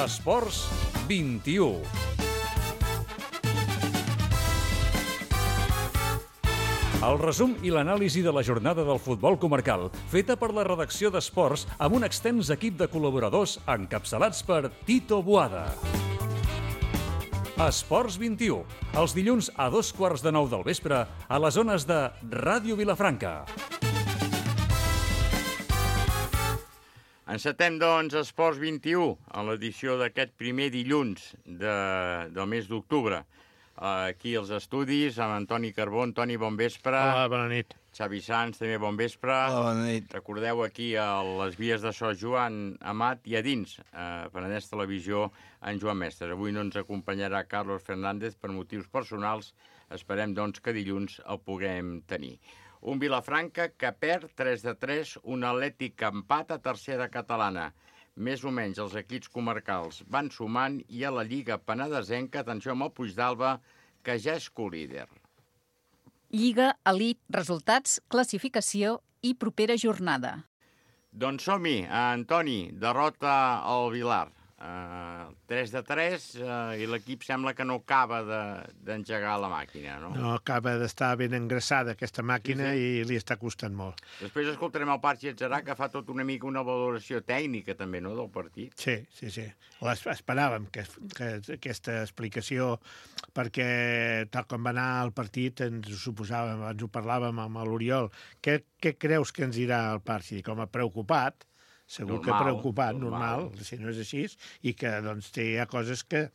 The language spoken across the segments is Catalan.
Esports 21. El resum i l'anàlisi de la jornada del futbol comarcal, feta per la redacció d'Esports amb un extens equip de col·laboradors encapçalats per Tito Boada. Esports 21, els dilluns a 8:15 del vespre a les zones de Ràdio Vilafranca. Encetem, doncs, Esports 21, en l'edició d'aquest primer dilluns del mes d'octubre. Aquí als estudis, amb Antoni Carbó. Antoni, bon vespre. Hola, bona nit. Xavi Sans, també bon vespre. Hola, bona nit. Recordeu aquí a les vies de so Joan Amat i a dins, Penedès Televisió, en Joan Mestres. Avui no ens acompanyarà Carlos Fernández per motius personals. Esperem, doncs, que dilluns el puguem tenir. Un Vilafranca que perd 3-3, un Atlètic que empata a tercera catalana. Més o menys els equips comarcals van sumant i a la Lliga penedesenca, atenció amb el Puigdàlber, que ja és co-líder. Lliga, elit, resultats, classificació i propera jornada. Doncs som-hi, Antoni, derrota al Vilar. 3-3 i l'equip sembla que no acaba d'engegar la màquina, no? No, acaba d'estar ben engraçada aquesta màquina i li està costant molt. Després escoltarem el Parc Getzerà, que fa tot una mica una valoració tècnica també, no?, del partit. Sí. Esperàvem que aquesta explicació, perquè tal com va anar el partit ens ho suposàvem, ens ho parlàvem amb l'Oriol. Què creus que ens dirà el Parc? Com a preocupat, segur que preocupat, normal, si no és així, i que doncs, hi ha coses que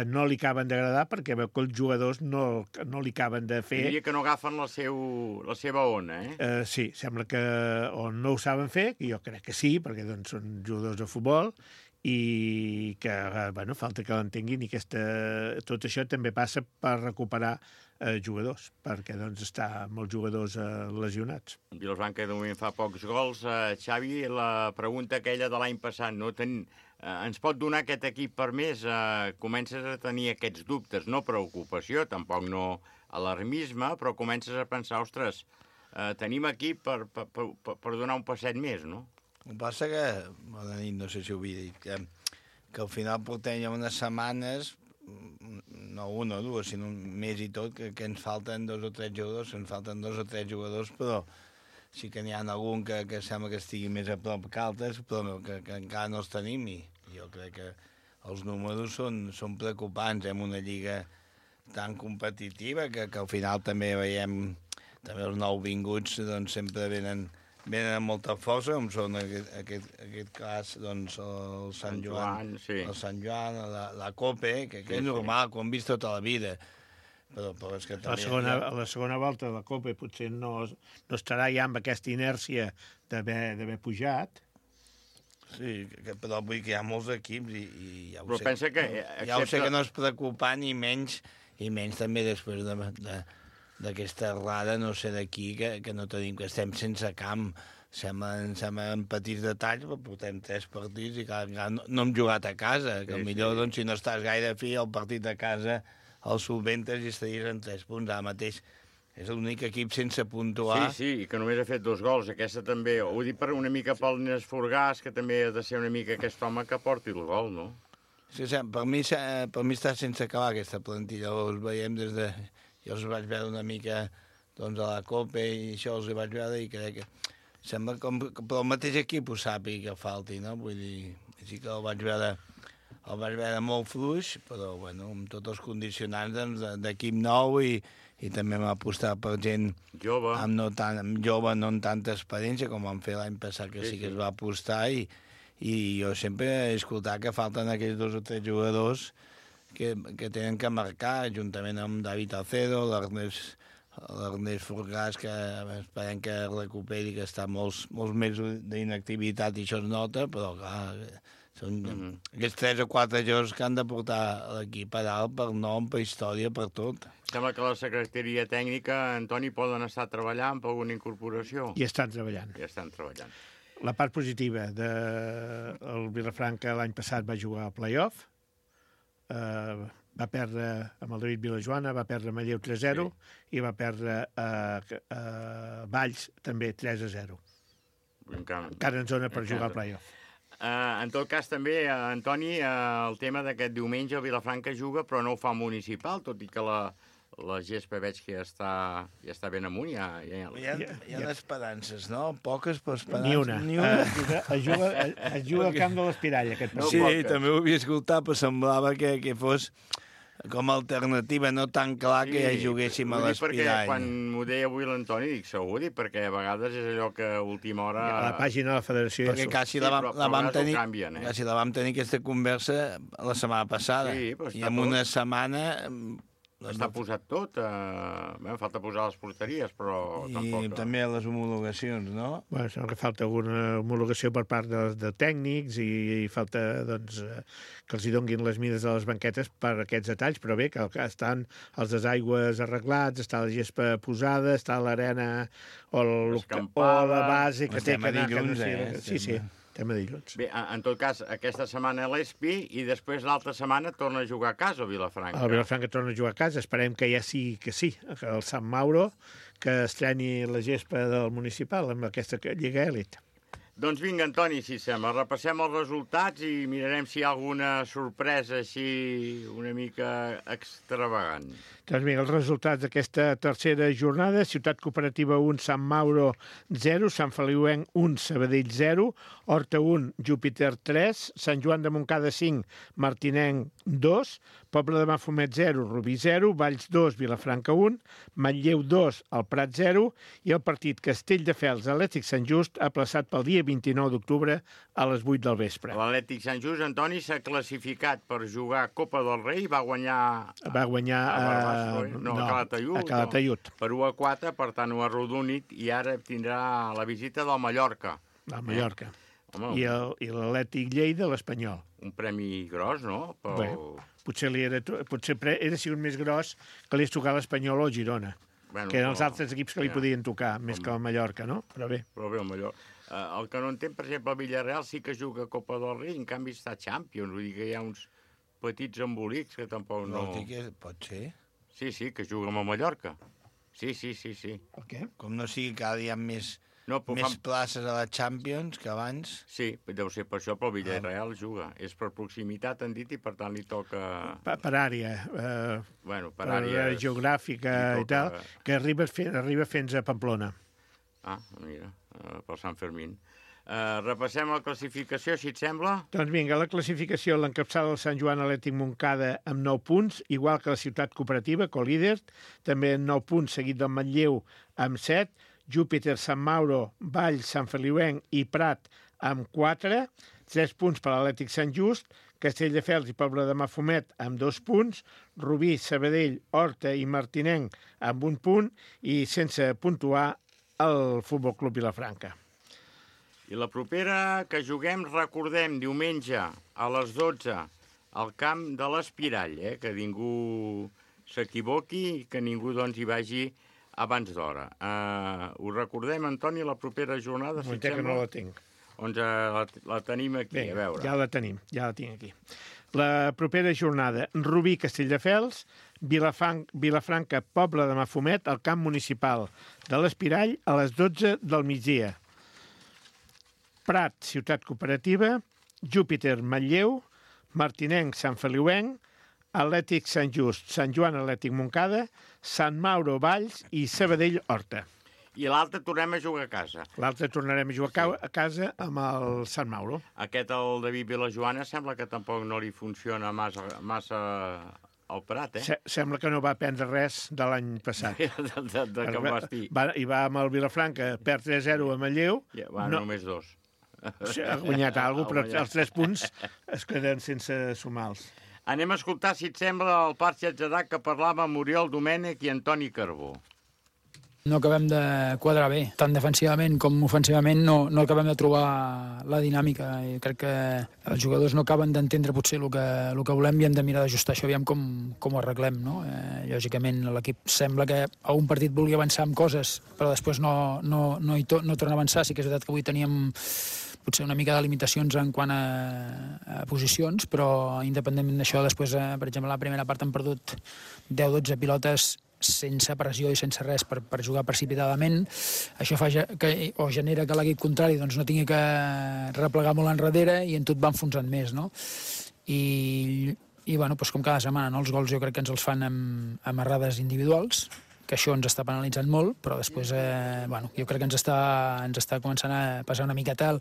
no li acaben d'agradar perquè veu que els jugadors no li acaben de fer. Diria que no agafen la seva ona, eh? Sí, sembla que o no ho saben fer, que jo crec que sí, perquè doncs, són jugadors de futbol, i que, bueno, falta que l'entenguin, i tot això també passa per recuperar jugadors, perquè doncs està molts jugadors lesionats. Vilafranca de moment fa pocs gols. Xavi, la pregunta aquella de l'any passat, no? Ens pot donar aquest equip per més? Comences a tenir aquests dubtes, no preocupació, tampoc no alarmisme, però comences a pensar, ostres, tenim equip per donar un passet més, no? El que passa que, bona nit, no sé si ho havia dit, que al final portem ja unes setmanes, no una o dues, sinó més i tot, que ens falten 2 o 3 jugadors, però sí que n'hi ha algun que sembla que estigui més a prop que altres, però que encara no els tenim, i jo crec que els números són preocupants en una lliga tan competitiva que al final també veiem, també els nouvinguts doncs, sempre venen amb molta força, com són aquest cas, doncs, el Sant Joan, la Cope, que és normal, que ho hem vist tota la vida. Però és que també... A la segona volta de la Copa potser no estarà ja amb aquesta inèrcia d'haver pujat. Sí, però vull que hi ha molts equips i ja ho sé. Però pensa que... Ja ho sé que no és preocupant, i menys també després d'aquesta errada, no sé d'aquí, que no tenim, que estem sense camp. Semblen petits detalls, però portem 3 partits i no hem jugat a casa, que millor, doncs, si no estàs gaire fi, el partit de casa el solventes i estaries en 3 punts. Ara mateix és l'únic equip sense puntuar. Sí, i que només ha fet 2 gols. Aquesta també, ho dic per una mica pel Nes Forgàs, que també ha de ser una mica aquest home que porti el gol, no? Sí, per mi està sense acabar aquesta plantilla. Els veiem des de... Jo els vaig veure una mica doncs, a la Copa i això els vaig veure i crec que sembla com que el mateix equip ho sàpiga que falti, no? Vull dir, sí que el vaig veure molt fluix, però bueno, amb tots els condicionants d'equip nou i també m'ha apostat per gent jove, no amb tanta experiència com vam fer l'any passat, que sí que es va apostar, i jo sempre he escoltat que falten aquells 2 o 3 jugadors que tenen que marcar, juntament amb David Alcedo, l'Ernest Forgàs, que esperem que recuperi, que està molts mesos d'inactivitat i això es nota, però clar, són aquests 3 o 4 jugadors que han de portar l'equip a dalt per nom, per història, per tot. Sembla que la secretaria tècnica, Antoni, poden estar treballant per alguna incorporació. I estan treballant. La part positiva del Vilafranca l'any passat va jugar a playoff, va perdre amb el David Vilajoana, va perdre a Manlleu 3-0 i va perdre a Valls també 3-0. Encara en zona per jugar al playoff. En tot cas, també, Antoni, el tema d'aquest diumenge el Vilafranca juga, però no ho fa municipal, tot i que la gespa veig que ja està ben amunt. Hi ha esperances, no? Poques, però esperances. Ni una. Es juga al camp de l'Espirall, aquest partit. Sí, també ho havia escoltat, però semblava que fos com a alternativa, no tan clar que ja juguéssim a l'Espirall. Perquè quan m'ho deia avui l'Antoni, dic segur, perquè a vegades és allò que a última hora... A la pàgina de la Federació... Perquè quasi la vam tenir aquesta conversa la setmana passada. Sí, però i en una setmana... Està posat tot. Falta posar les porteries, però tampoc... I també les homologacions, no? Bueno, sembla que falta alguna homologació per part de tècnics i falta doncs, que els hi donguin les mides de les banquetes per aquests detalls, però bé, que estan els desaigües arreglats, està la gespa posada, està l'arena o la base que té que anar... Sí. Tema dilluns. Bé, en tot cas, aquesta setmana a l'Espi i després l'altra setmana torna a jugar a casa el Vilafranca. El Vilafranca torna a jugar a casa. Esperem que ja sigui que sí, que el Sant Mauro que estreni la gespa del municipal amb aquesta Lliga Elit. Doncs vinga, Antoni, si sembla, repassem els resultats i mirarem si hi ha alguna sorpresa així una mica extravagant. Doncs vinga, els resultats d'aquesta tercera jornada: Ciutat Cooperativa 1, Sant Mauro 0, Sant Feliuenc 1, Sabadell 0, Horta 1, Júpiter 3, Sant Joan de Montcada 5, Martinenc 2, Poble de Mafumet 0, Rubí 0, Valls 2, Vilafranca 1, Manlleu 2, el Prat 0, i el partit Castelldefels Atlètic Sant Just aplaçat pel dia 29 d'octubre a les 8 del vespre. L'Atlètic Sant Just, Antoni, s'ha classificat per jugar Copa del Rei, va guanyar a Calataiud. Per 1-4, per tant ho ha arrodonit i ara tindrà la visita del Mallorca. Del Mallorca. I l'Atlètic Lleida, l'Espanyol. Un premi gros, no? Bé, potser era sigut més gros que li és tocar l'Espanyol o el Girona, que eren els altres equips que li podien tocar, més que el Mallorca, no? Però bé, el Mallorca. El que no entenc, per exemple, el Villarreal sí que juga a Copa del Rei, en canvi està a Champions, vull dir que hi ha uns petits embolics que tampoc no... Pot ser? Sí, que juga amb el Mallorca. Sí. El què? Com no sigui cada dia més places a la Champions que abans. Sí, deu ser per això, però el Villarreal juga. És per proximitat, han dit, i per tant li toca... Per àrea. Per àrea geogràfica i tal, que arriba fins a Pamplona. Ah, mira, per Sant Fermín. Repassem la classificació, si et sembla. Doncs vinga, la classificació l'encapçala el Sant Joan Atlètic Montcada amb 9 punts, igual que la Ciutat Cooperativa, co-líder, també amb 9 punts, seguit del Manlleu amb 7, Júpiter, Sant Mauro, Valls, Sant Feliuenc i Prat amb 4, 3 punts per l'Atlètic Sant Just, Castelldefels i Poble de Mafumet amb 2 punts, Rubí, Sabadell, Horta i Martinenc amb 1 punt i sense puntuar el Futbol Club Vilafranca. I la propera que juguem, recordem, diumenge a les 12 al camp de l'Espirall, que ningú s'equivoqui i que ningú doncs hi vagi abans d'hora. Ho recordem, Antoni, la propera jornada? No, que no la tinc. La tenim aquí, bé, a veure. Ja la tinc aquí. La propera jornada, Rubí, Castelldefels, Vilafranca, Poble de Mafumet, al camp municipal de l'Espirall, a les 12 del migdia. Prat, Ciutat Cooperativa, Júpiter, Manlleu, Martinenc, Sant Feliuenc, Atlètic Sant Just, Sant Joan Atlètic Montcada, Sant Mauro, Valls i Sabadell, Horta. I l'altre tornem a jugar a casa. L'altre tornarem a jugar a casa amb el Sant Mauro. Aquest, el David Vilajoana, sembla que tampoc no li funciona massa al Prat, Sembla que no va aprendre res de l'any passat. de que va estir. I va amb el Vilafranca, perd 3-0 a Manlleu. Només 2. Ha guanyat alguna cosa, però els 3 punts es queden sense sumar-los. Anem a escoltar, si et sembla, el Parc Xatxarà que parlava amb Oriol Domènech i Antoni Carbó. No acabem de quadrar bé, tant defensivament com ofensivament no acabem de trobar la dinàmica i crec que els jugadors no acaben d'entendre potser el que volem i hem de mirar d'ajustar això, aviam com ho arreglem, no? Lògicament l'equip sembla que a un partit vulgui avançar amb coses però després no torna a avançar. Sí que és veritat que avui teníem potser una mica de limitacions en quant a posicions, però independentment d'això després, per exemple, a la primera part han perdut 10-12 pilotes sense pressió i sense res per jugar precipitadament. Això fa o genera que l'equip contrari doncs, no tingui que replegar molt enrere i en tot va enfonsant més, no? I bueno, doncs com cada setmana, no? Els gols jo crec que ens els fan amb errades individuals, que això ens està penalitzant molt, però després bueno, jo crec que ens està començant a passar una miqueta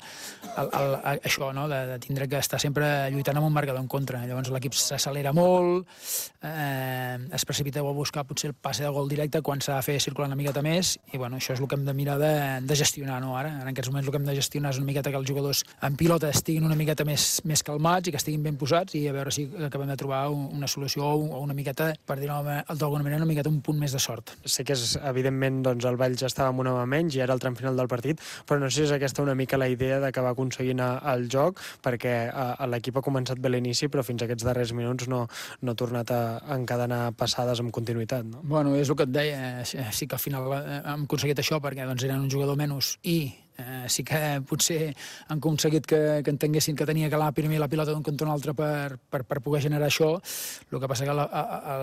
això, no? de tindre que estar sempre lluitant amb un marcador en contra. Llavors l'equip s'accelera molt, es precipita a buscar potser el passe de gol directe quan s'ha de fer circular una miqueta més, i bueno, això és el que hem de mirar de gestionar, no? Ara, en aquests moments el que hem de gestionar és una miqueta que els jugadors en pilota estiguin una miqueta més calmats i que estiguin ben posats, i a veure si acabem de trobar una solució o una miqueta, per dir-ho d'alguna manera, una miqueta un punt més de sort. Sé que evidentment doncs, el Valls estava amb una mà menys i era el tram final del partit, però no sé si és aquesta una mica la idea d'acabar aconseguint el joc, perquè l'equip ha començat bé l'inici, però fins a aquests darrers minuts no ha tornat a encadenar passades amb continuïtat. No? Bueno, és el que et deia, sí que al final hem aconseguit això perquè doncs, eren un jugador menys i sí que potser han aconseguit que entenguessin que tenia que anar primer la pilota d'un cantó a un altre per poder generar això. El que passa que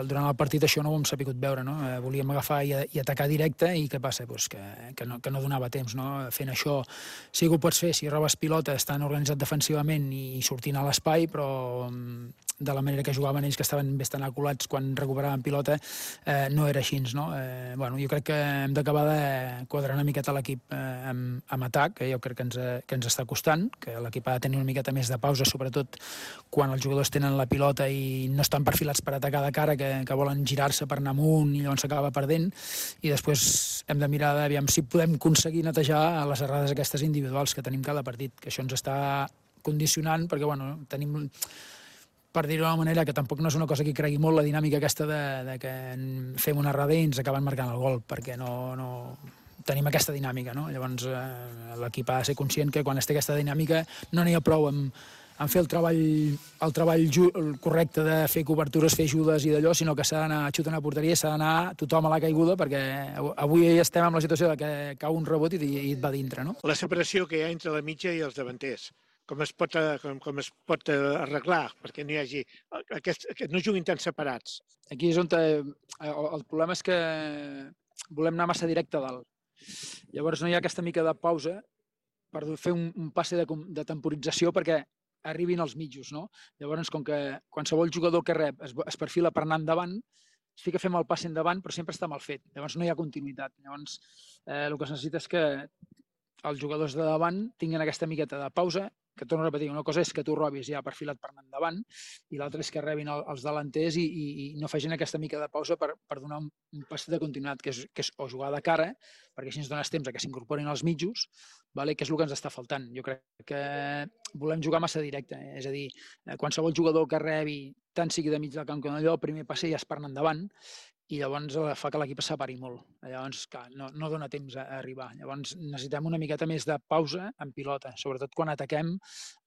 durant el partit això no ho hem sabut veure, no? Volíem agafar i atacar directe, i què passa? Pues que no donava temps, no? Fent això sí que ho pots fer si robes pilota estan organitzat defensivament i sortint a l'espai, però de la manera que jugaven ells, que estaven bastant aculats quan recuperaven pilota, no era així, no? Bueno, jo crec que hem d'acabar de quadrar una miqueta l'equip amb atac, que jo crec que ens està costant, que l'equip ha de tenir una miqueta més de pausa, sobretot quan els jugadors tenen la pilota i no estan perfilats per atacar de cara, que volen girar-se per anar amunt i llavors s'acaba perdent, i després hem de mirar aviam si podem aconseguir netejar les errades aquestes individuals que tenim cada partit, que això ens està condicionant, perquè bueno, tenim, per dir-ho d'una manera, que tampoc no és una cosa que cregui molt, la dinàmica aquesta de que fem una errada i ens acaben marcant el gol, perquè no tenim aquesta dinàmica, no? Llavors l'equip ha de ser conscient que quan es té aquesta dinàmica no n'hi ha prou en fer el treball correcte de fer cobertures, fer ajudes i d'allò, sinó que s'ha d'anar a xutar una porteria, s'ha d'anar tothom a la caiguda, perquè avui estem en la situació de que cau un rebot i et va dintre, no? La separació que hi ha entre la mitja i els davanters, com es pot arreglar perquè no hi hagi que no juguin tan separats? Aquí és on el problema és que volem anar massa directe a dalt. Llavors no hi ha aquesta mica de pausa per fer un passe de temporització perquè arribin als mitjos, no? Llavors, com que qualsevol jugador que rep es perfila per anar endavant, sí que fem el passe endavant, però sempre està mal fet. Llavors no hi ha continuïtat. Llavors el que es necessita és que els jugadors de davant tinguin aquesta miqueta de pausa, que torno a repetir, una cosa és que tu robis ja perfilat per anar endavant i l'altra és que rebin els delanters i no facin aquesta mica de pausa per donar un pas de continuïtat, que és o jugar de cara, perquè així ens dones temps a que s'incorporin als mitjos, que és el que ens està faltant. Jo crec que volem jugar massa directe, és a dir, qualsevol jugador que rebi, tant sigui de mig del camp com d'allò, el primer passe ja és per anar endavant, i llavors fa que l'equip es separi molt. Llavors, clar, no dona temps a arribar. Llavors necessitem una miqueta més de pausa en pilota, sobretot quan ataquem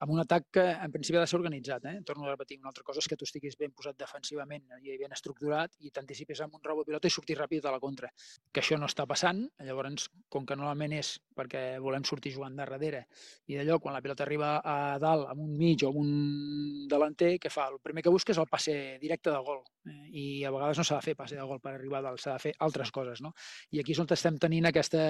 amb un atac que en principi ha de ser organitzat. Torno a repetir, una altra cosa és que tu estiguis ben posat defensivament i ben estructurat i t'anticipis amb un rebot pilota i sortir ràpid a la contra. Que això no està passant, llavors, com que normalment és perquè volem sortir jugant de darrere i d'allò, quan la pilota arriba a dalt, amb un mig o amb un delanter, què fa? El primer que busca és el passe directe de gol. I a vegades no s'ha de fer passe de gol per arribar a dalt, s'ha de fer altres coses, no? I aquí és on estem tenint aquesta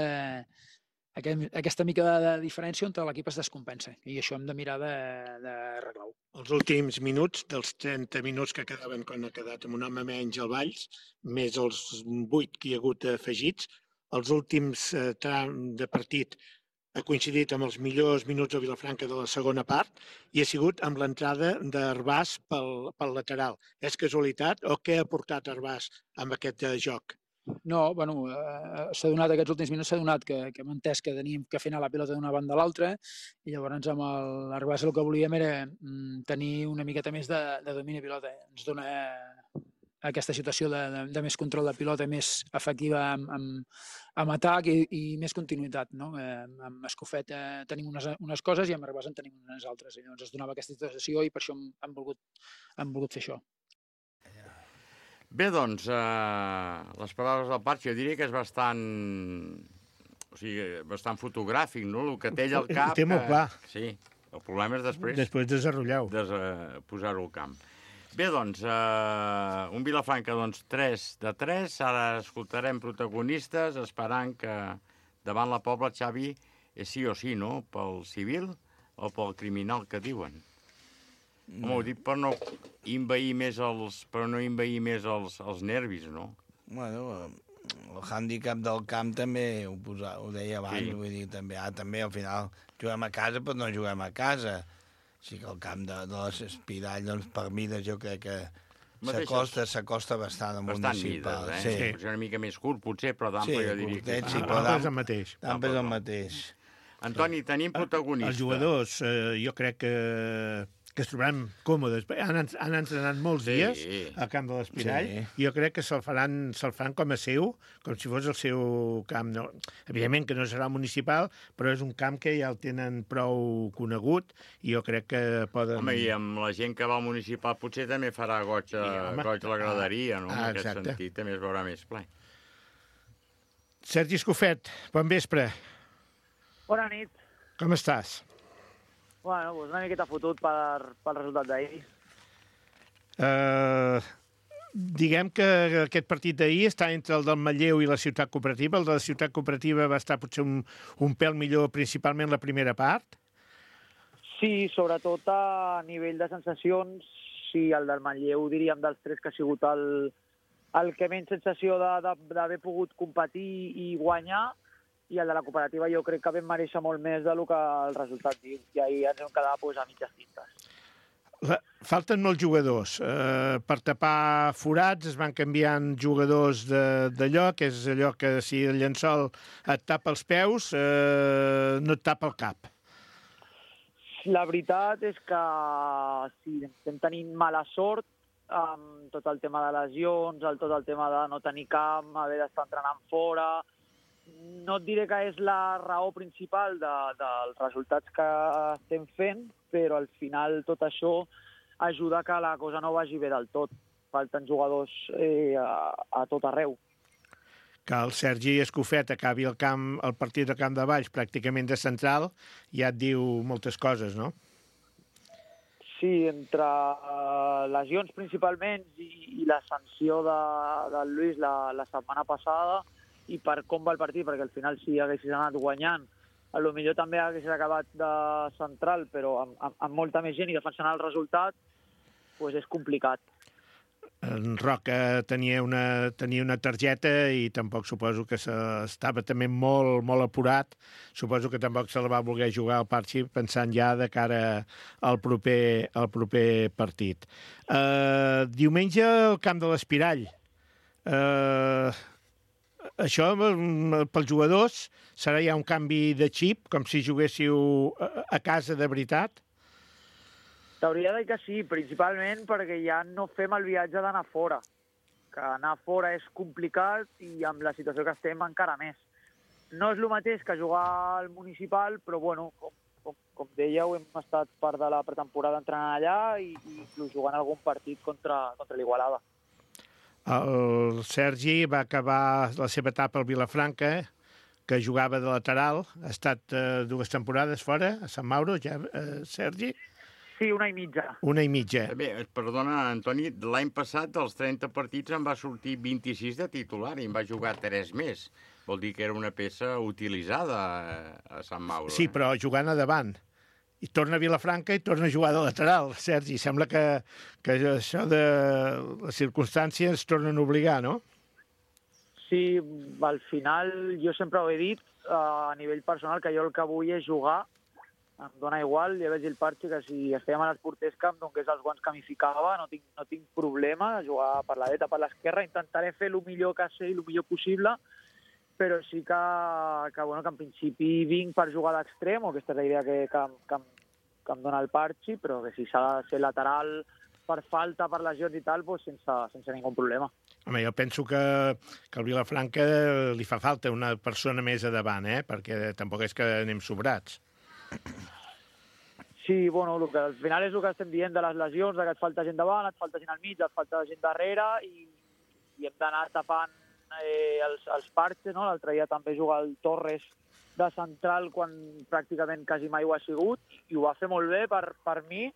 mica de diferència on l'equip es descompensa, i això hem de mirar d'arreglar-ho. Els últims minuts, dels 30 minuts que quedaven quan ha quedat amb un home menys al Valls, més els 8 que hi ha hagut afegits, els últims trams de partit ha coincidit amb els millors minuts a Vilafranca de la segona part i ha sigut amb l'entrada d'Arbàs pel lateral. És casualitat o què ha portat Arbàs amb aquest joc? No, bueno, s'ha donat aquests últims minuts, s'ha donat que hem entès que teníem que fer anar la pilota d'una banda a l'altra i llavors amb l'Arbàs el que volíem era tenir una miqueta més de domini de pilota. Ens dona aquesta situació de més control de pilota, més efectiva amb atac i més continuïtat, no? Amb Escofet tenim unes coses i amb Arbàs en tenim unes altres. Llavors es donava aquesta situació i per això hem volgut fer això. Bé, doncs, les paraules del Patxi, jo diria que és bastant fotogràfic, no? El que té ell al cap... Ho té molt clar. Sí, el problema és després desenrotllar-ho. Posar-ho al camp. Bé, doncs, un Vilafranca 3 de 3. Ara escoltarem protagonistes, esperant que davant la Pobla, Xavi, és sí o sí, no? Pel civil o pel criminal que diuen? Home, ho dic per no envair més els nervis, no? Bueno, el hàndicap del camp també ho deia abans, Sí. vull dir, també al final juguem a casa, però no juguem a casa. Així que el camp de l'Espirall, doncs, per mides jo crec que s'acosta bastant al Bastant municipal. mides, Sí. Potser una mica més curt, potser, però d'ample jo diria que... curtet, sí, Ah, però és el mateix. d'ample és el mateix. Antoni, tenim protagonistes. Els jugadors, jo crec que es trobaran còmodes. Han entrenat molts dies al camp de l'Espirall i jo crec que se'l faran com a seu, com si fos el seu camp. No, evidentment que no serà municipal, però és un camp que ja el tenen prou conegut i jo crec que poden... Home, i amb la gent que va al municipal potser també farà goig la graderia, no? En aquest sentit també es veurà més ple. Sergi Escofet, bon vespre. Bona nit. Com estàs? Bueno, doncs una miqueta fotut pel resultat d'ahir. Diguem que aquest partit d'ahir està entre el del Manlleu i la Ciutat Cooperativa. El de la Ciutat Cooperativa va estar potser un pèl millor, principalment la primera part. Sí, sobretot a nivell de sensacions, sí, el del Manlleu, diríem, dels tres que ha sigut el que menys sensació d'haver pogut competir i guanyar, i el de la cooperativa jo crec que vam mereixer molt més del que el resultat diu, i ahir ens vam quedar a mitges tintes. Falten molts jugadors. Per tapar forats es van canviant jugadors d'allò, que és allò que si el llençol et tapa els peus, no et tapa el cap. La veritat és que sí, estem tenint mala sort amb tot el tema de lesions, tot el tema de no tenir camp, haver d'estar entrenant fora. No et diré que és la raó principal dels resultats que estem fent, però al final tot això ajuda que la cosa no vagi bé del tot. Falten jugadors a tot arreu. Que el Sergi Escofet acabi el partit del camp de Valls pràcticament de central ja et diu moltes coses, no? Sí, entre lesions principalment i la sanció del Lluís la setmana passada, i per com va el partit, perquè al final si haguessis anat guanyant, potser també haguessis acabat de central, però amb molta més gent i defensant el resultat, doncs és complicat. En Roca tenia una targeta i tampoc suposo que estava també molt, molt apurat. Suposo que tampoc se la va voler jugar al partit pensant ja de cara al proper partit. Diumenge al camp de l'Espirall. Això, pels jugadors, serà ja un canvi de xip, com si juguéssiu a casa de veritat? T'hauria de dir que sí, principalment perquè ja no fem el viatge d'anar fora. Que anar fora és complicat i amb la situació que estem encara més. No és el mateix que jugar al municipal, però bueno, com dèieu, hem estat part de la pretemporada entrenant allà i inclús jugant algun partit contra l'Igualada. El Sergi va acabar la seva etapa al Vilafranca, que jugava de lateral. Ha estat 2 temporades fora, a Sant Mauro, ja, Sergi? Sí, una i mitja. Una i mitja. Bé, perdona, Antoni, l'any passat dels 30 partits en va sortir 26 de titular i en va jugar 3 més. Vol dir que era una peça utilitzada a Sant Mauro. Sí, però jugant a davant. I torna a Vilafranca i torna a jugar de lateral. Sergi, sembla que això de les circumstàncies tornen a obligar, no? Sí, al final jo sempre ho he dit a nivell personal, que jo el que vull és jugar. Em dóna igual, ja veig el Parchi, que si estem a l'Esporters Camp, doncs és els guants que m'hi ficava, no tinc problema de jugar per la dreta, per l'esquerra, intentaré fer el millor que sé i el millor possible, però sí que en principi vinc per jugar d'extrem, o aquesta és la idea que em dona el Parchi, però que si s'ha de ser lateral per falta, per lesions i tal, doncs sense ningú problema. Home, jo penso que al Vilafranca li fa falta una persona més a davant, perquè tampoc és que anem sobrats. Sí, bueno, al final és el que estem dient de les lesions, que et falta gent davant, et falta gent al mig, et falta gent darrere, i hem d'anar tapant els parxes, no? L'altre dia també juga el Torres de central quan pràcticament quasi mai ho ha sigut, i ho va fer molt bé per mi,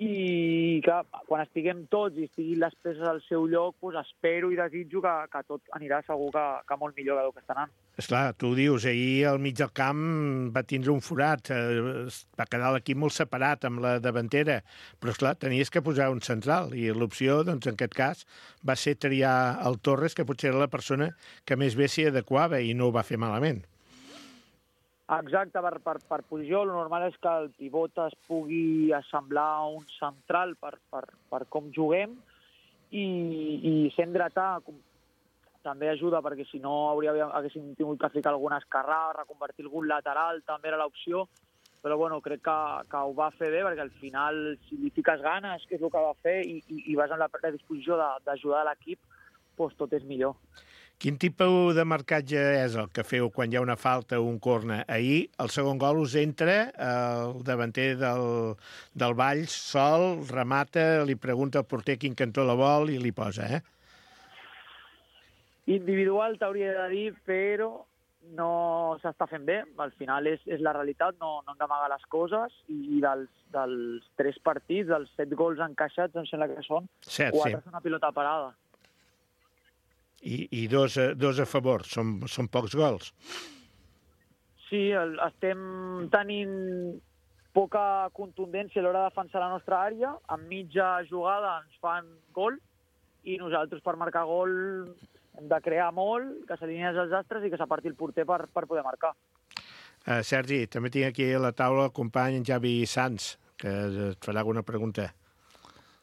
i que quan estiguem tots i estiguin les peces al seu lloc, doncs espero i desitjo que tot anirà segur que molt millor del que està anant. Esclar, tu ho dius, ahir al mig del camp va tindre un forat, va quedar l'equip molt separat amb la davantera, però esclar, tenies que posar un central i l'opció, doncs en aquest cas, va ser triar el Torres, que potser era la persona que més bé s'hi adequava i no ho va fer malament. Exacte, per posició, el normal és que el pivot es pugui assemblar a un central per com juguem i sent dretà també ajuda, perquè si no haguéssim tingut que ficar alguna esquerrada, reconvertir algun lateral, també era l'opció, però bueno, crec que ho va fer bé, perquè al final, si li fiques ganes, que és el que va fer, i vas amb la predisposició d'ajudar l'equip, doncs tot és millor. Quin tipus de marcatge és el que feu quan hi ha una falta o un corner? Ahir, el segon gol us entra, el davanter del Valls sol, remata, li pregunta al porter quin cantó la vol i li posa, Individual t'hauria de dir, però no s'està fent bé. Al final és la realitat, no hem d'amagar les coses, i dels 3 partits, dels 7 gols encaixats, em sembla que són 7, 4 són una pilota parada. I dos a favor, són pocs gols. Sí, estem tenint poca contundència a l'hora de defensar la nostra àrea. En mitja jugada ens fan gol i nosaltres per marcar gol hem de crear molt, que s'alineen els astres i que s'aparti el porter per poder marcar. Sergi, també tinc aquí a la taula el company Javi Sanz, que et farà alguna pregunta.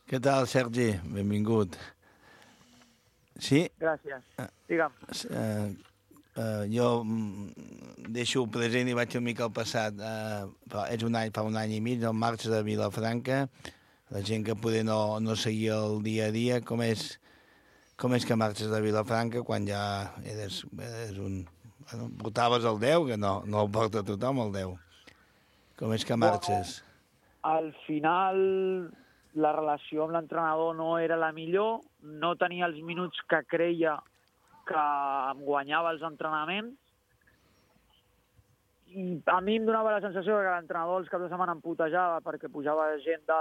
Què tal, Sergi? Benvingut. Sí? Gràcies. Digue'm. Jo deixo present i vaig una mica al passat. Fa un any i mig, al març de Vilafranca. La gent que poder no seguia el dia a dia, com és que marxes de Vilafranca quan ja eres un... Bueno, portaves el 10, que no el porta tothom, el 10. Com és que marxes? Al final, la relació amb l'entrenador no era la millor, no tenia els minuts que creia que em guanyava els entrenaments, i a mi em donava la sensació que l'entrenador els caps de setmana em putejava perquè pujava gent de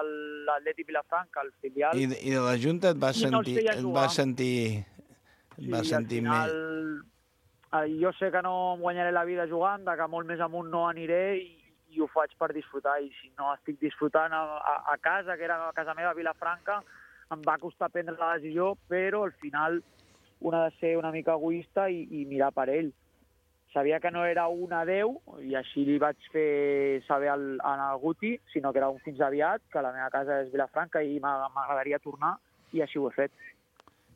l'Atlètic Vilafranca, al filial. I de la Junta et va sentir final, jo sé que no em guanyaré la vida jugant, que molt més amunt no aniré i ho faig per disfrutar. I si no estic disfrutant a casa, que era a casa meva, a Vilafranca, em va costar prendre la decisió, però al final un ha de ser una mica egoista i mirar per ell. Sabia que no era un adeu, i així li vaig fer saber al Guti, sinó que era un fins aviat, que la meva casa és Vilafranca i m'agradaria tornar, i així ho he fet.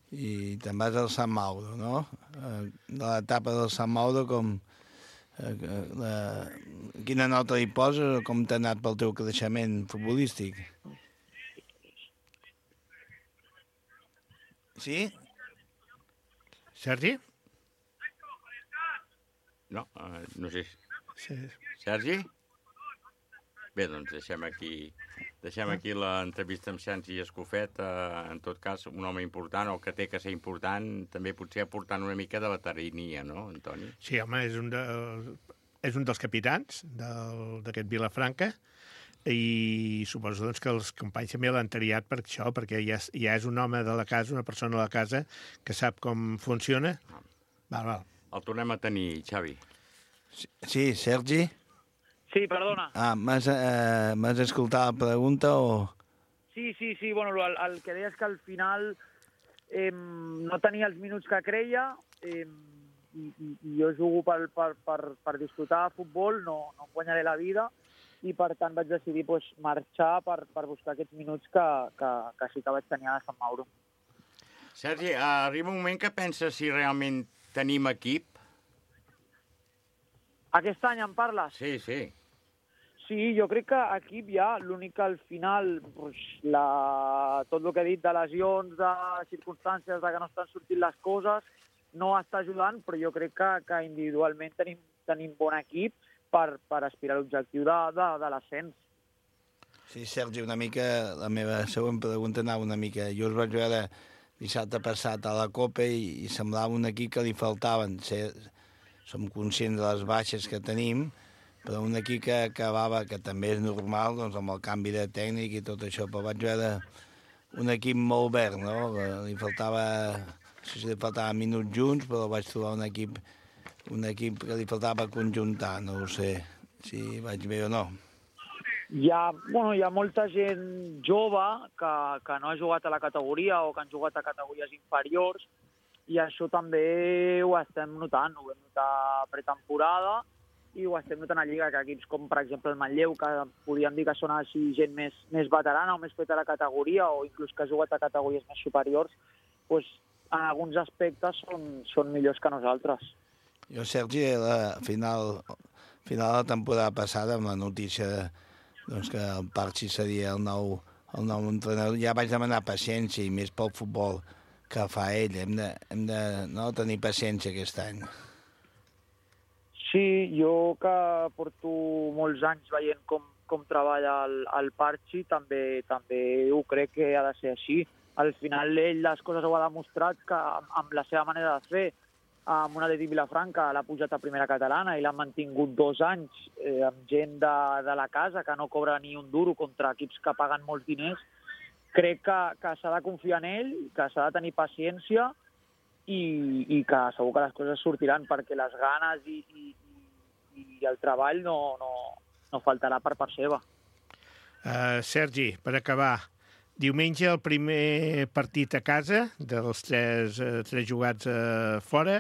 I te'n vas al Sant Mauro, no? De l'etapa del Sant Mauro, quina nota li poses o com t'ha anat pel teu creixement futbolístic? Sí? Sergi? No sé. Sí. Sergi? Bé, doncs deixem aquí l'entrevista amb Sergi Escofet. En tot cas, un home important, o que té que ser important, també potser aportant una mica de veterania, no, Antoni? Sí, home, és un dels capitans d'aquest Vilafranca, i suposo doncs, que els companys també l'han triat per això, perquè ja és un home de la casa, una persona de la casa, que sap com funciona. Val. El tornem a tenir, Xavi. Sí, Sergi? Sí, perdona. M'has escoltat la pregunta o...? Sí, bueno, el que deia és que al final no tenia els minuts que creia, i jo jugo per disfrutar de futbol, no em guanyaré la vida, i per tant vaig decidir marxar per buscar aquests minuts que sí que vaig tenir a Sant Mauro. Sergi, arriba un moment que penses si realment tenim equip? Aquest any em parles? Sí. Sí, jo crec que equip hi ha. L'únic que al final, tot el que he dit de lesions, de circumstàncies, de que no estan sortint les coses, no està ajudant, però jo crec que individualment tenim bon equip per aspirar a l'objectiu de l'ascens. Sí, Sergi, una mica, la meva següent pregunta anava una mica. Jo us vaig veure dissabte passat a la Copa i semblava un equip que li faltaven. Som conscients de les baixes que tenim, però un equip que acabava, que també és normal, doncs, amb el canvi de tècnic i tot això, però vaig veure un equip molt verd, no? Li faltava, no sé si li faltava minuts junts, però vaig trobar un equip que li faltava conjuntar, no ho sé si vaig bé o no. Hi ha molta gent jove que no ha jugat a la categoria o que han jugat a categories inferiors, i això també ho estem notant, ho vam notar pretemporada i ho estem notant a Lliga, que equips com, per exemple, el Manlleu, que podríem dir que són així gent més veterana o més feta a la categoria, o inclús que ha jugat a categories més superiors, doncs, en alguns aspectes són millors que nosaltres. Jo, Sergi, a final de la temporada passada, amb la notícia que el Parchi seria el nou entrenador, ja vaig demanar paciència, i més pel futbol que fa ell. Hem de tenir paciència aquest any. Sí, jo que porto molts anys veient com treballa el Parchi, també ho crec que ha de ser així. Al final ell les coses ho ha demostrat, que amb la seva manera de fer, amb un Atlètic Vilafranca l'ha pujat a primera catalana i l'ha mantingut 2 anys amb gent de la casa que no cobra ni un duro contra equips que paguen molts diners. Crec que s'ha de confiar en ell, que s'ha de tenir paciència i que segur que les coses sortiran, perquè les ganes i el treball no faltarà per part seva. Sergi, per acabar, diumenge el primer partit a casa, dels tres jugats fora,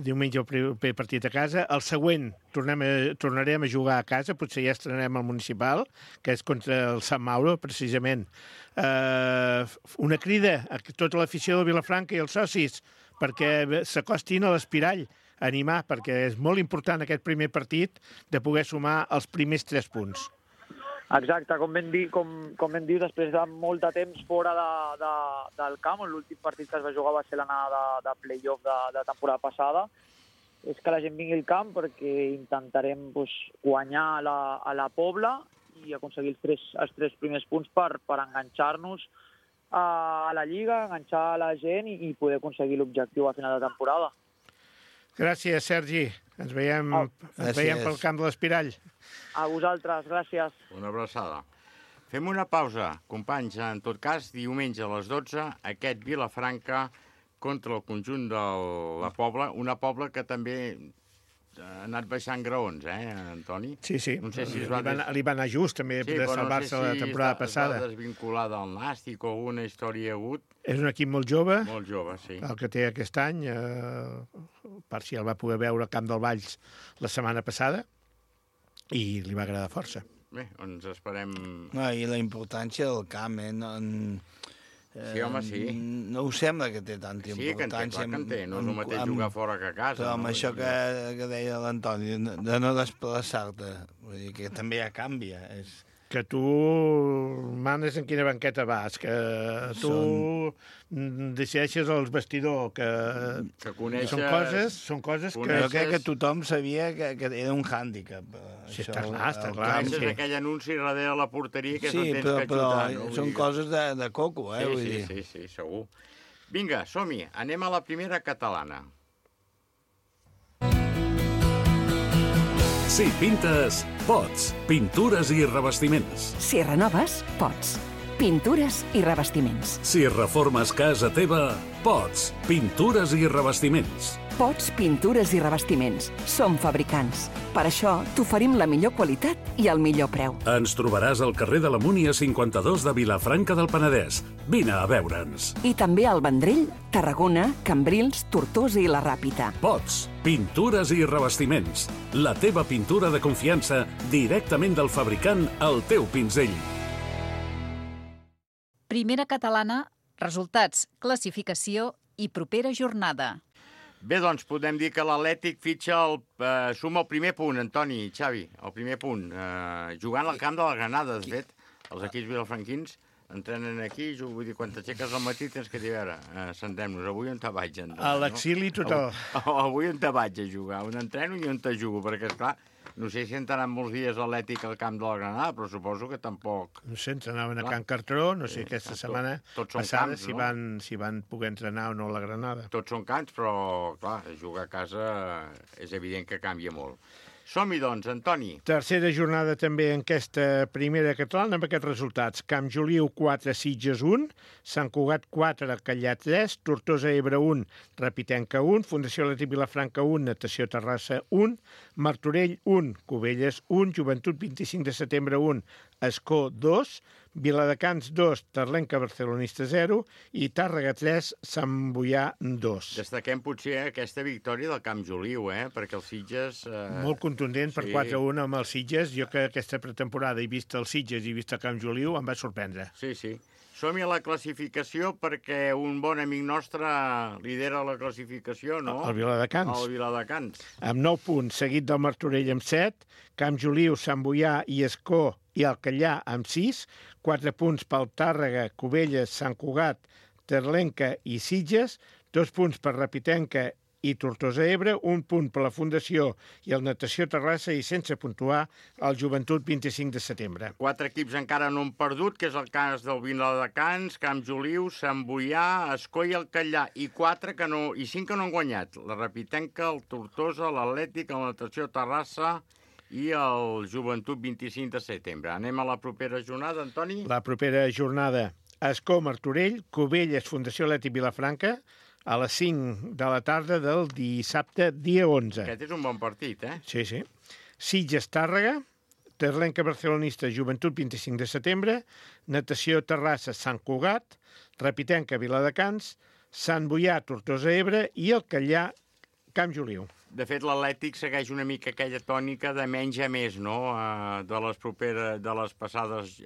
diumenge el primer partit a casa. El següent tornarem a jugar a casa, potser ja estrenarem al municipal, que és contra el Sant Mauro, precisament. Una crida a tota l'afició del Vilafranca i els socis perquè s'acostin a l'Espirall, a animar, perquè és molt important aquest primer partit de poder sumar els primers 3 punts. Exacte, com ben dius, després de molt de temps fora del camp, l'últim partit que es va jugar va ser l'anada de play-off de temporada passada, és que la gent vingui al camp, perquè intentarem guanyar a la Pobla i aconseguir els 3 primers punts per enganxar-nos a la Lliga, enganxar a la gent i poder aconseguir l'objectiu a final de temporada. Gràcies, Sergi. Ens veiem pel camp de l'Espirall. A vosaltres, gràcies. Una abraçada. Fem una pausa, companys. En tot cas, diumenge a les 12, aquest Vilafranca contra el conjunt de la Pobla, una Pobla que també ha anat baixant graons, Antoni? Sí. No sé si li va anar just, també, de salvar-se la temporada passada. Sí, però no sé si està desvinculada al Nàstic o alguna història hi ha hagut. És un equip molt jove. Molt jove, sí. El que té aquest any. Parci el va poder veure al Camp del Valls la setmana passada i li va agradar força. Bé, ens esperem... No, i la importància del camp, sí, home, sí. No us sembla que té tanta importància? Sí, que en té. No és el mateix jugar fora que a casa. Però amb això que deia l'Antoni, de no desplaçar-te, vull dir que també ja canvia. Que tu manes en quina banqueta vas, que tu decideixes els vestidors, que coneixes... Són coses que... Jo crec que tothom sabia que era un hàndicap. Sí, està clar. Coneixes aquell anunci darrere la porteria que no tens que xutar, no? Sí, són coses de coco, vull dir. Sí, segur. Vinga, som-hi. Anem a la primera catalana. Si pintes, pots. Pintures i revestiments. Si renoves, pots. Pintures i revestiments. Si reformes casa teva, pots. Pintures i revestiments. Pots, pintures i revestiments. Som fabricants. Per això t'oferim la millor qualitat i el millor preu. Ens trobaràs al carrer de la Múnia 52 de Vilafranca del Penedès. Vine a veure'ns. I també al Vendrell, Tarragona, Cambrils, Tortosa i la Ràpita. Pots. Pintures i revestiments. La teva pintura de confiança directament del fabricant al teu pinzell. Primera catalana, resultats, classificació i propera jornada. Bé, doncs podem dir que l'Atlètic suma el primer punt, Antoni, Xavi, el primer punt. Jugant al camp de la Granada, de fet, els equips vilafranquins entrenen aquí, vull dir, quan t'aixeques al matí tens que dir, a veure, sentem-nos, avui on te vaig a entrenar? A l'exili total. Avui on te vaig a jugar, on entreno i on te jugo, perquè, esclar, no sé si entraran molts dies l'Atlètic al camp de la Granada, però suposo que tampoc... No sé, entrenaven a Can Cartró, no sé aquesta setmana passada si van poder entrenar o no a la Granada. Tots són camps, però, clar, jugar a casa és evident que canvia molt. Som-hi, doncs, Antoni. Tercera jornada també en aquesta primera catalana amb aquests resultats. Camp Joliu 4, Sitges 1, Sant Cugat 4, Callar 3, Tortosa Ebre 1, Rapitenca 1, Fundació Atlètic Vilafranca 1, Natació Terrassa 1, Martorell 1, Cubelles 1, Joventut 25 de setembre 1, Escó 2, Viladecans 2, Terlenca Barcelonista 0 i Tàrrega 3, Sant Boià 2. Destaquem potser aquesta victòria del Camp Joliu, perquè els Sitges... Molt contundent per sí. 4-1 amb els Sitges. Jo que aquesta pretemporada he vist els Sitges i he vist el Camp Joliu, em va sorprendre. Sí, sí. Som-hi a la classificació perquè un bon amic nostre lidera la classificació, no? El Viladecans. El Viladecans. Amb 9 punts, seguit del Martorell amb 7, Camp Joliu, Sant Boià i Escó i el Callar amb 6, 4 punts pel Tàrrega, Cubelles, Sant Cugat, Terlenca i Sitges, 2 punts per Rapitenca i Tortosa Ebre, 1 punt per la Fundació i el Natació Terrassa i sense puntuar el Joventut 25 de setembre. 4 equips encara no han perdut, que és el cas del Viladecans, Camp Joliu, Sant Boià, Escó i el Callar, i 5 que no han guanyat. La Rapitenca, el Tortosa, l'Atlètic, el Natació Terrassa i el Joventut 25 de setembre. Anem a la propera jornada, Antoni? La propera jornada, Escó, Martorell, Cubelles, Fundació Atlètic Vilafranca, a les 5 de la tarda del dissabte, dia 11. Aquest és un bon partit, Sí, sí. Sitges, Tàrrega, Terlenca Barcelonista, Joventut 25 de setembre, Natació Terrassa, Sant Cugat, Rapitenca, Viladecans, Sant Boià, Tortosa Ebre i el Callar, Camp Joliu. De fet, l'Atlètic segueix una mica aquella tònica de menys a més, no?, de les passades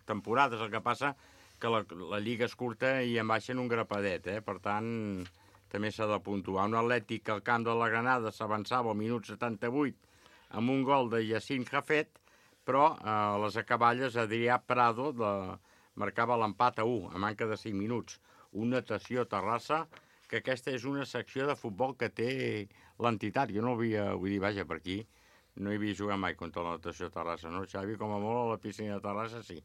temporades. El que passa que la Lliga és curta i en baixen un grapadet, Per tant, també s'ha de puntuar. Un Atlètic al camp de la Granada s'avançava al minut 78 amb un gol de Yacine Jafet, però a les acaballes Adrià Prado marcava l'empat a 1, a manca de 5 minuts. Un Natació Terrassa, que aquesta és una secció de futbol que té l'entitat. Jo no havia, vull dir, vaja, per aquí, no hi havia jugat mai contra la Natació Terrassa, no, Xavi? Com a molt a la piscina de Terrassa, sí.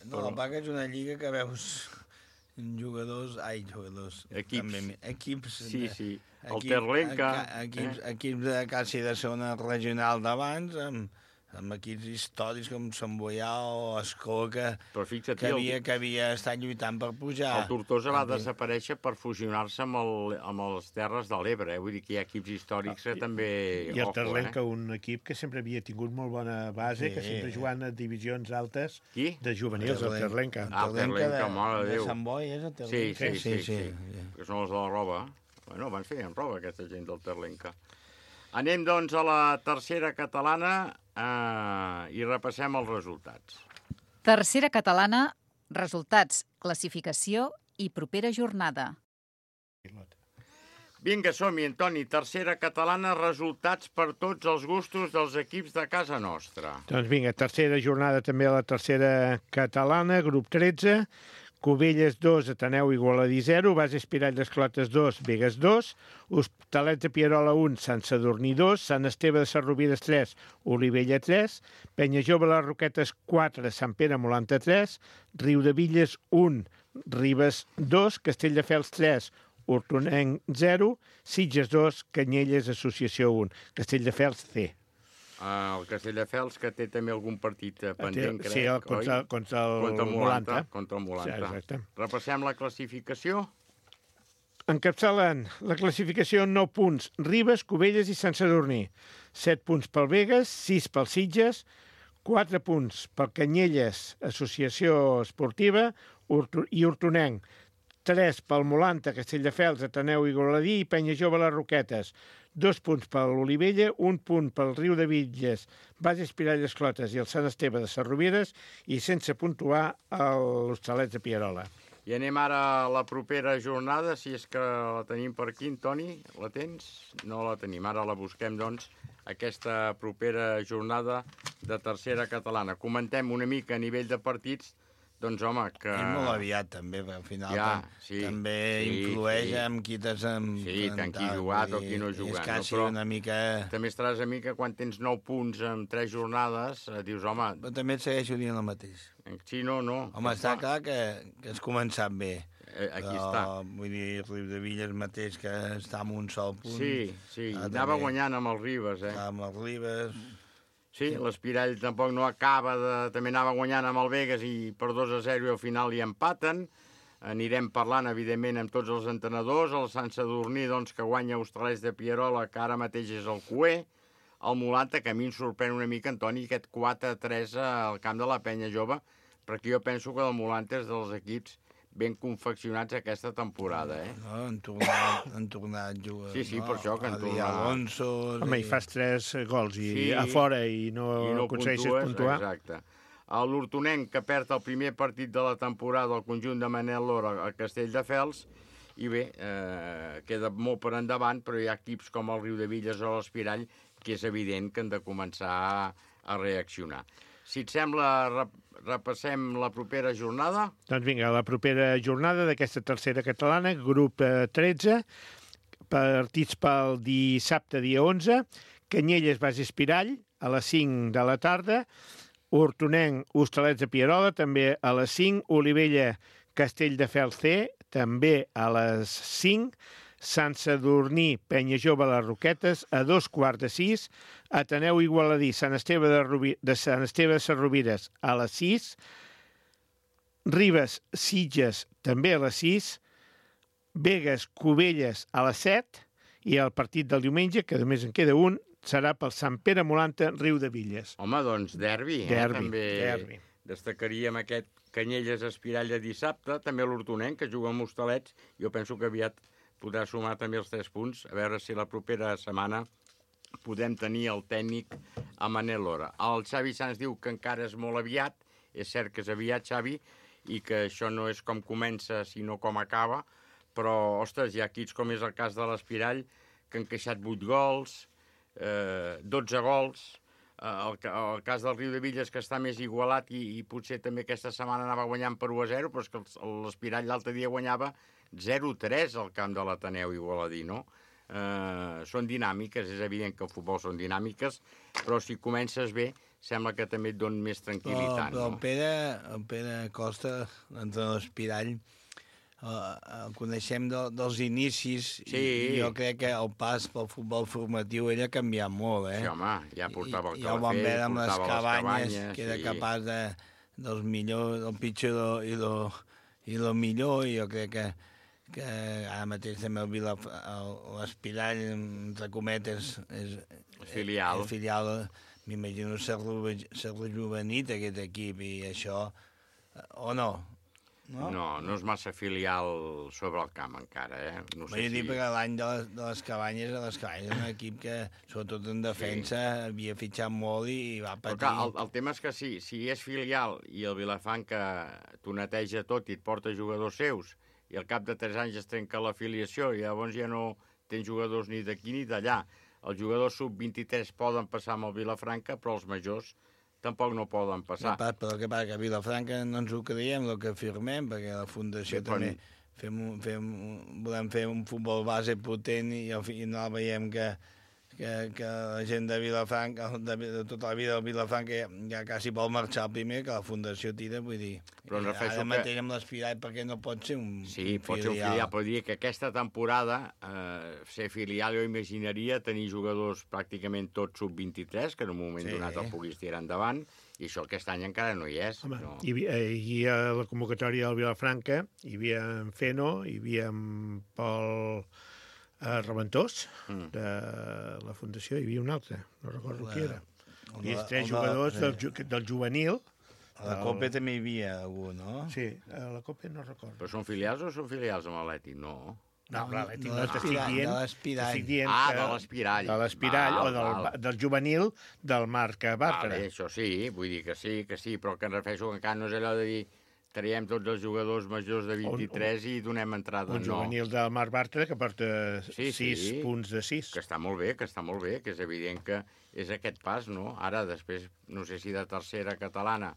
No, el PAC és una lliga que veus jugadors... Equips... Sí, sí. El Terlenca... Equips de quasi de segona regional d'abans, amb equips històrics com Sant Boià o Escó, que havia estat lluitant per pujar. El Tortosa va desaparèixer per fusionar-se amb les Terres de l'Ebre. Vull dir que hi ha equips històrics que també... I el Terlenca, un equip que sempre havia tingut molt bona base, que sempre jugant a divisions altes de juvenils, el Terlenca. El Terlenca, mare de Déu. De Sant Boi, és el Terlenca? Sí. Que són els de la roba. Bueno, van fer en roba, aquesta gent del Terlenca. Anem, doncs, a la tercera catalana i repassem els resultats. Tercera catalana, resultats, classificació i propera jornada. Vinga, som-hi, Antoni. Tercera catalana, resultats per tots els gustos dels equips de casa nostra. Doncs vinga, tercera jornada també a la tercera catalana, grup 13, Cubelles 2, Ateneu Igualadí 0, Base Espirall d'Esclotes 2, Begues 2, Hospitalet de Pierola 1, Sant Sadurní 2, Sant Esteve de Sarrovires 3, Olivella 3, Penyajove les Roquetes 4, Sant Pere Molanta 3, Riudevilles 1, Ribes 2, Castelldefels 3, Hortonenc 0, Sitges 2, Canyelles Associació 1, Castelldefels C. El Castelldefels, que té també algun partit pendent, crec, sí, contra el Molanta. Contra el Molanta. Sí, exacte. Repassem la classificació. Encapçalen la classificació 9 punts. Ribes, Cubelles i Sant Sadurní. 7 punts pel Begues, 6 pel Sitges, 4 punts pel Canyelles, Associació Esportiva i Hortonenc. 3 pel Molanta, Castelldefels, Ateneu Igualadí i Penyajove les Roquetes. 2 punts per l'Olivella, 1 punt pel Riudevilles, Base Espirall d'Esclotes i el Sant Esteve de Sarrovires i sense puntuar l'Hostalets de Pierola. I anem ara a la propera jornada, si és que la tenim per aquí, Toni. La tens? No la tenim. Ara la busquem, doncs, aquesta propera jornada de tercera catalana. Comentem una mica a nivell de partits. Doncs, home, que... És molt aviat, també, perquè al final també influeix en qui t'has... Sí, tant qui ha jugat o qui no ha jugat. És quasi una mica... També estaràs a mi que quan tens 9 punts en 3 jornades, dius, home... Però també et segueixo dient el mateix. Sí, no. Home, està clar que has començat bé. aquí està. Vull dir, Riudevilles mateix, que està en un sol punt. Sí, anava guanyant amb el Ribes, Amb el Ribes. Sí, l'Espirall tampoc no acaba de... També anava guanyant amb el Vegas i per 2-0 i al final hi empaten. Anirem parlant, evidentment, amb tots els entrenadors. El Sant Sadurní, doncs, que guanya Hostalets de Pierola, que ara mateix és el cuer. El Mulanta, que a mi em sorprèn una mica, Antoni, aquest 4-3 al camp de la Penya Jove, perquè jo penso que el Mulanta és dels equips ben confeccionats aquesta temporada, No, han tornat a jugar. Sí, per això que han tornat. Alonso... Home, i fas 3 gols a fora i no aconsegueixes puntuar. Exacte. L'Hortonenc, que perd el primer partit de la temporada al conjunt de Manel Lora a Castelldefels, i bé, queda molt per endavant, però hi ha equips com el Riudevilles o l'Espirall que és evident que han de començar a reaccionar. Si et sembla, repassem la propera jornada? Doncs vinga, la propera jornada d'aquesta tercera catalana, grup 13, partits pel dissabte, dia 11, Canyelles, Baix Espirall, a les 5 de la tarda, Hortonenc, Hostalets de Pierola, també a les 5, Olivella, Castelldefels C, també a les 5, Sant Sadurní, Penya Jove, les Roquetes, a 5:15, Ateneu Igualadí, Sant Esteve de Sarrovires, a les 6, Ribes, Sitges, també a les 6, Vegas, Cubelles, a les 7, i el partit del diumenge, que només en queda un, serà pel Sant Pere Mulanta, Riudevilles. Home, doncs derbi. Derbi. Destacaríem aquest Canyelles Espirall de dissabte, també l'Hortonenc, que juga amb Hostalets. Jo penso que aviat podrà sumar també els 3 punts, a veure si la propera setmana podem tenir el tècnic a Manel Lora. El Xavi Sanz diu que encara és molt aviat, és cert que és aviat, Xavi, i que això no és com comença, sinó com acaba, però, ostres, hi ha equips com és el cas de l'Espirall, que han encaixat 8 gols, 12 gols, el cas del Riudevilles, que està més igualat i potser també aquesta setmana anava guanyant per 1-0, però és que l'Espirall l'altre dia guanyava 0-3 al camp de l'Ateneu Igualadí, no? Són dinàmiques, és evident que el futbol són dinàmiques, però si comences bé, sembla que també et dona més tranquil·litat. Però el Pere Costa, l'entrenador d'Espirall, el coneixem dels inicis, i jo crec que el pas pel futbol formatiu ell ha canviat molt, Sí, home, ja portava el ja ho vam veure amb les cabanyes, que era capaç dels millors, del pitjor i el millor, i jo crec que ara mateix també l'Espirall, entre cometes, és filial, m'imagino ser rejuvenit aquest equip, i això, o no? No és massa filial sobre el camp encara, No sé Vull dir, perquè l'any de les cabanyes, és un equip que, sobretot en defensa, havia fitxat molt i va patir. Però clar, el tema és que si és filial i el Vilafranca t'ho neteja tot i et porta jugadors seus, i al cap de 3 anys es trenca l'afiliació i llavors ja no tens jugadors ni d'aquí ni d'allà. Els jugadors sub-23 poden passar amb el Vilafranca, però els majors tampoc no poden passar. Però què passa, que a Vilafranca no ens ho creiem, el que afirmem, perquè la Fundació també volem fer un futbol base potent i al final veiem que la gent de Vilafranca, de tota la vida del Vilafranca, ja quasi vol marxar el primer, que la Fundació tira, vull dir, ara mateix amb l'Espirall, perquè no pot ser un filial. Sí, pot ser un filial, però dir que aquesta temporada, ser filial, jo imaginaria tenir jugadors pràcticament tots sub-23, que en un moment donat el puguis tirar endavant, i això aquest any encara no hi és. Home, hi havia la convocatòria del Vilafranca, hi havia en Feno, hi havia en Pol Reventós, de la Fundació, hi havia un altre, no recordo qui era. Hi havia 3 jugadors del juvenil. A la Copa també hi havia algú, no? Sí, a la Copa no recordo. Però són filials o són filials amb l'Atlètic? No. No, l'Atlètic no, de l'Espirall. De l'Espirall. De l'Espirall o del juvenil del Marc Bartra. Això sí, vull dir que sí, però que em refereixo que encara no és allò de dir traiem tots els jugadors majors de 23 i donem entrada. Un juvenil del Marc Bartra que porta 6 punts de 6. Que està molt bé, que és evident que és aquest pas, no? Ara, després, no sé si de tercera catalana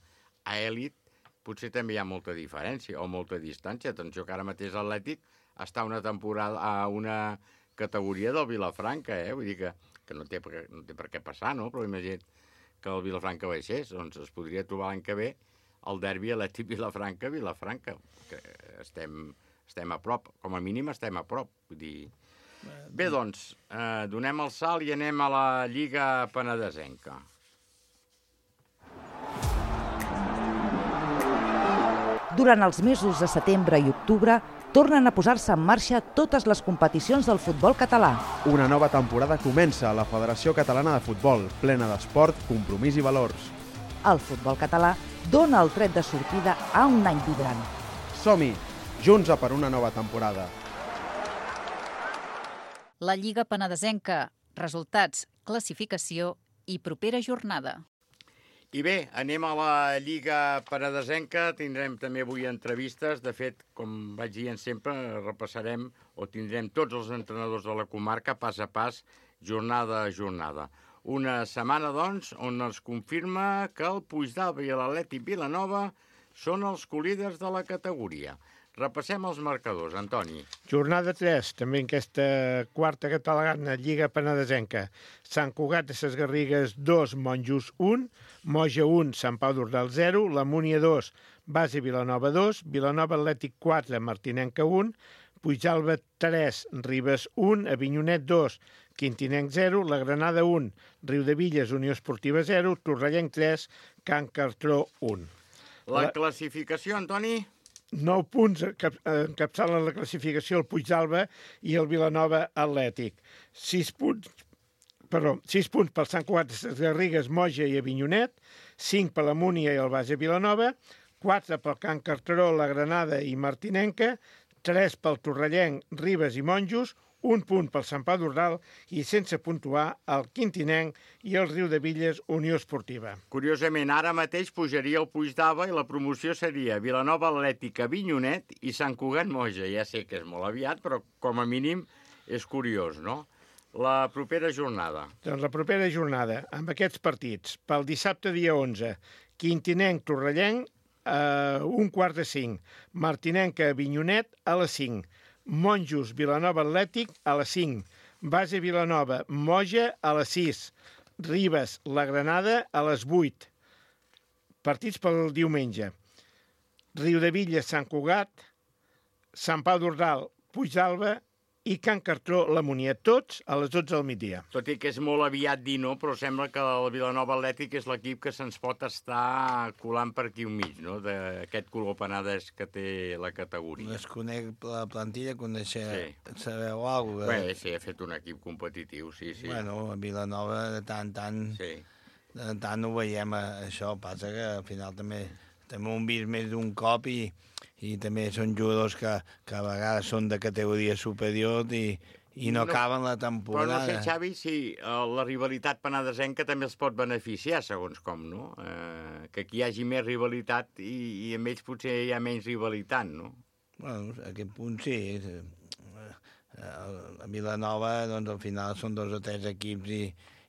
a èlit, potser també hi ha molta diferència o molta distància. Atenció que ara mateix l'Atlètic està una temporada a una categoria del Vilafranca, Vull dir que no té per què passar, no? Però imagina't que el Vilafranca baixés, doncs es podria trobar l'any que ve el derbi Atlètic Vilafranca, que estem estem a prop, com a mínim estem a prop. Vull dir... Bé, doncs, donem el salt i anem a la Lliga Penedesenca. Durant els mesos de setembre i octubre, tornen a posar-se en marxa totes les competicions del futbol català. Una nova temporada comença a la Federació Catalana de Futbol, plena d'esport, compromís i valors. El futbol català dona el tret de sortida a un any vibrant. Som-hi, junts a per una nova temporada. La Lliga Penedesenca, resultats, classificació i propera jornada. I bé, anem a la Lliga Penedesenca, tindrem també avui entrevistes, de fet, com vaig dient sempre, repassarem o tindrem tots els entrenadors de la comarca pas a pas, jornada a jornada. Una setmana, doncs, on es confirma que el Puigdàlber i l'Atlètic Vilanova són els colíders de la categoria. Repassem els marcadors, Antoni. Jornada 3, també en aquesta quarta catalana Lliga Penedesenca. Sant Cugat de ses Garrigues 2, Monjos 1, Moja 1, Sant Pau d'Ordal 0, la Múnia 2, Base Vilanova 2, Vilanova Atlètic 4, Martinenca 1, Puigdàlber 3, Ribes 1, Avinyonet 2, Quintinenc 0, la Granada 1, Riudevilles Unió Esportiva 0, Torrellenc 3, Can Cartró 1. La classificació, Antoni? 9 punts encapçalen la classificació el Puigdàlber i el Vilanova Atlètic. 6 punts per Sant Cugat de ses Garrigues, Moja i Avinyonet, 5 per la Múnia i el Base Vilanova, 4 pel Can Cartró, la Granada i Martinenca, 3 pel Torrellenc, Ribes i Monjos, 1 punt pel Sant Pau d'Ordal i sense puntuar el Quintinenc i el Riudevilles Unió Esportiva. Curiosament, ara mateix pujaria el Puigdàlber i la promoció seria Vilanova Atlètic, Avinyonet i Sant Cugat Moja. Ja sé que és molt aviat, però com a mínim és curiós, no? La propera jornada. Doncs la propera jornada, amb aquests partits, pel dissabte dia 11, Quintinenc, Torrellenc, a 1:45, Martinenca, Avinyonet, a les 5, Monjos, Vilanova Atlètic, a les 5, Base Vilanova, Moja, a les 6, Ribes, la Granada, a les 8. Partits pel diumenge. Riudevilles, Sant Cugat, Sant Pau d'Ordal, Puigdàlber i Can Cartró, la Múnia, tots a les 12 del migdia. Tot i que és molt aviat dir no, però sembla que el Vilanova Atlètic és l'equip que se'ns pot estar colant per aquí al mig, no?, d'aquest color penedès que té la categoria. Desconec la plantilla, sabeu alguna cosa? Bé, sí, ha fet un equip competitiu, sí. Bueno, a Vilanova de tant ho veiem, això. Passa que al final també ho hem vist més d'un cop i també són jugadors que a vegades són de categoria superior i no acaben la temporada. Però no sé, Xavi, si la rivalitat penedesenca també els pot beneficiar, segons com, no? Que aquí hi hagi més rivalitat i amb ells potser hi ha menys rivalitat, no? Bueno, a aquest punt sí. A Vilanova, doncs, al final són 2 o 3 equips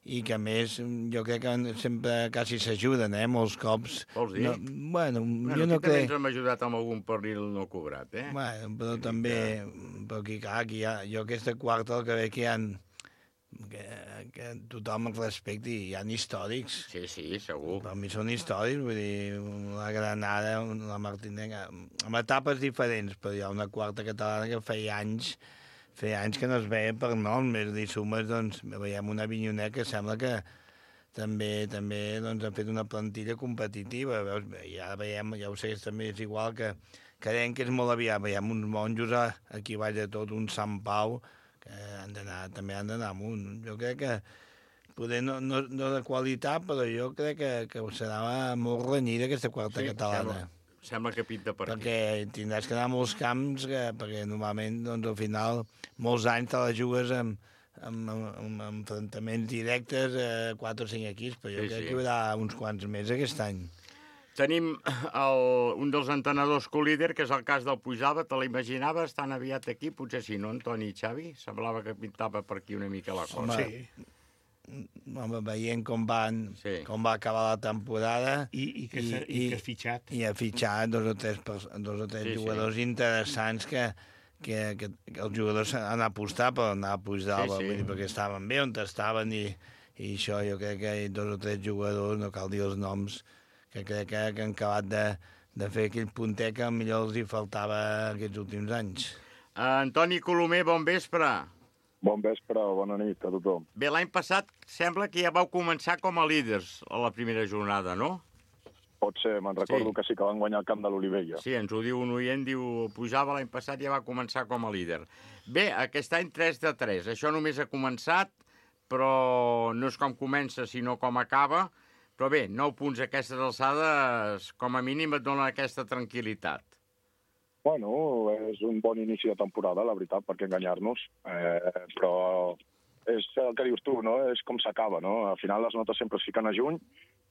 i que, a més, jo crec que sempre quasi s'ajuden, molts cops. Vols dir? Jo no crec... També ens hem ajudat amb algun pernil no cobrat, Bueno, però també... Però aquí, clar, jo aquesta quarta el que veig que hi ha... que tothom el respecti, hi ha històrics. Sí, segur. Per mi són històrics, vull dir, la Granada, la Martinenca, amb etapes diferents, però hi ha una quarta catalana que feia anys que no es veia per nom, més dir sumes, doncs, veiem una Avinyonet que sembla que també doncs, ha fet una plantilla competitiva. Veus? Ja veiem, ja ho sé, també és igual que creiem que és molt aviat. Veiem uns Monjos aquí baix de tot, un Sant Pau, que també han d'anar amunt. Jo crec que poder no de qualitat, però jo crec que serà molt renyida aquesta quarta catalana. Sembla que pinta per aquí. Perquè tindràs que anar a molts camps, perquè normalment, doncs, al final, molts anys te la jugues amb enfrontaments directes a 4 o 5 equips, però jo crec que hi haurà uns quants més aquest any. Tenim un dels entrenadors colíder, que és el cas del Puigdàlber. Te l'imaginaves tan aviat aquí? Potser sí, no, Antoni i Xavi? Semblava que pintava per aquí una mica la cosa. Sí. Home, veient com va acabar la temporada i que ha fitxat. I ha fitxat dos o tres jugadors interessants que els jugadors han apostat per anar a Puigdàlber, perquè estaven bé on estaven i això jo crec que hi ha 2 o 3 jugadors, no cal dir els noms, que crec que han acabat de fer aquell punter que millor els hi faltava aquests últims anys. Antoni Colomer, bon vespre. Bon vespre, bona nit a tothom. Bé, l'any passat sembla que ja vau començar com a líders a la primera jornada, no? Pot ser, me'n recordo que sí que van guanyar el camp de l'Olivella. Sí, ens ho diu un oient, diu, pujava l'any passat i ja va començar com a líder. Bé, aquest any 3-3, això només ha començat, però no és com comença, sinó com acaba. Però bé, 9 punts a aquestes alçades, com a mínim et donen aquesta tranquil·litat. Bueno, és un bon inici de temporada, la veritat, per què enganyar-nos. Però és el que dius tu, no? És com s'acaba, no? Al final les notes sempre es fiquen a juny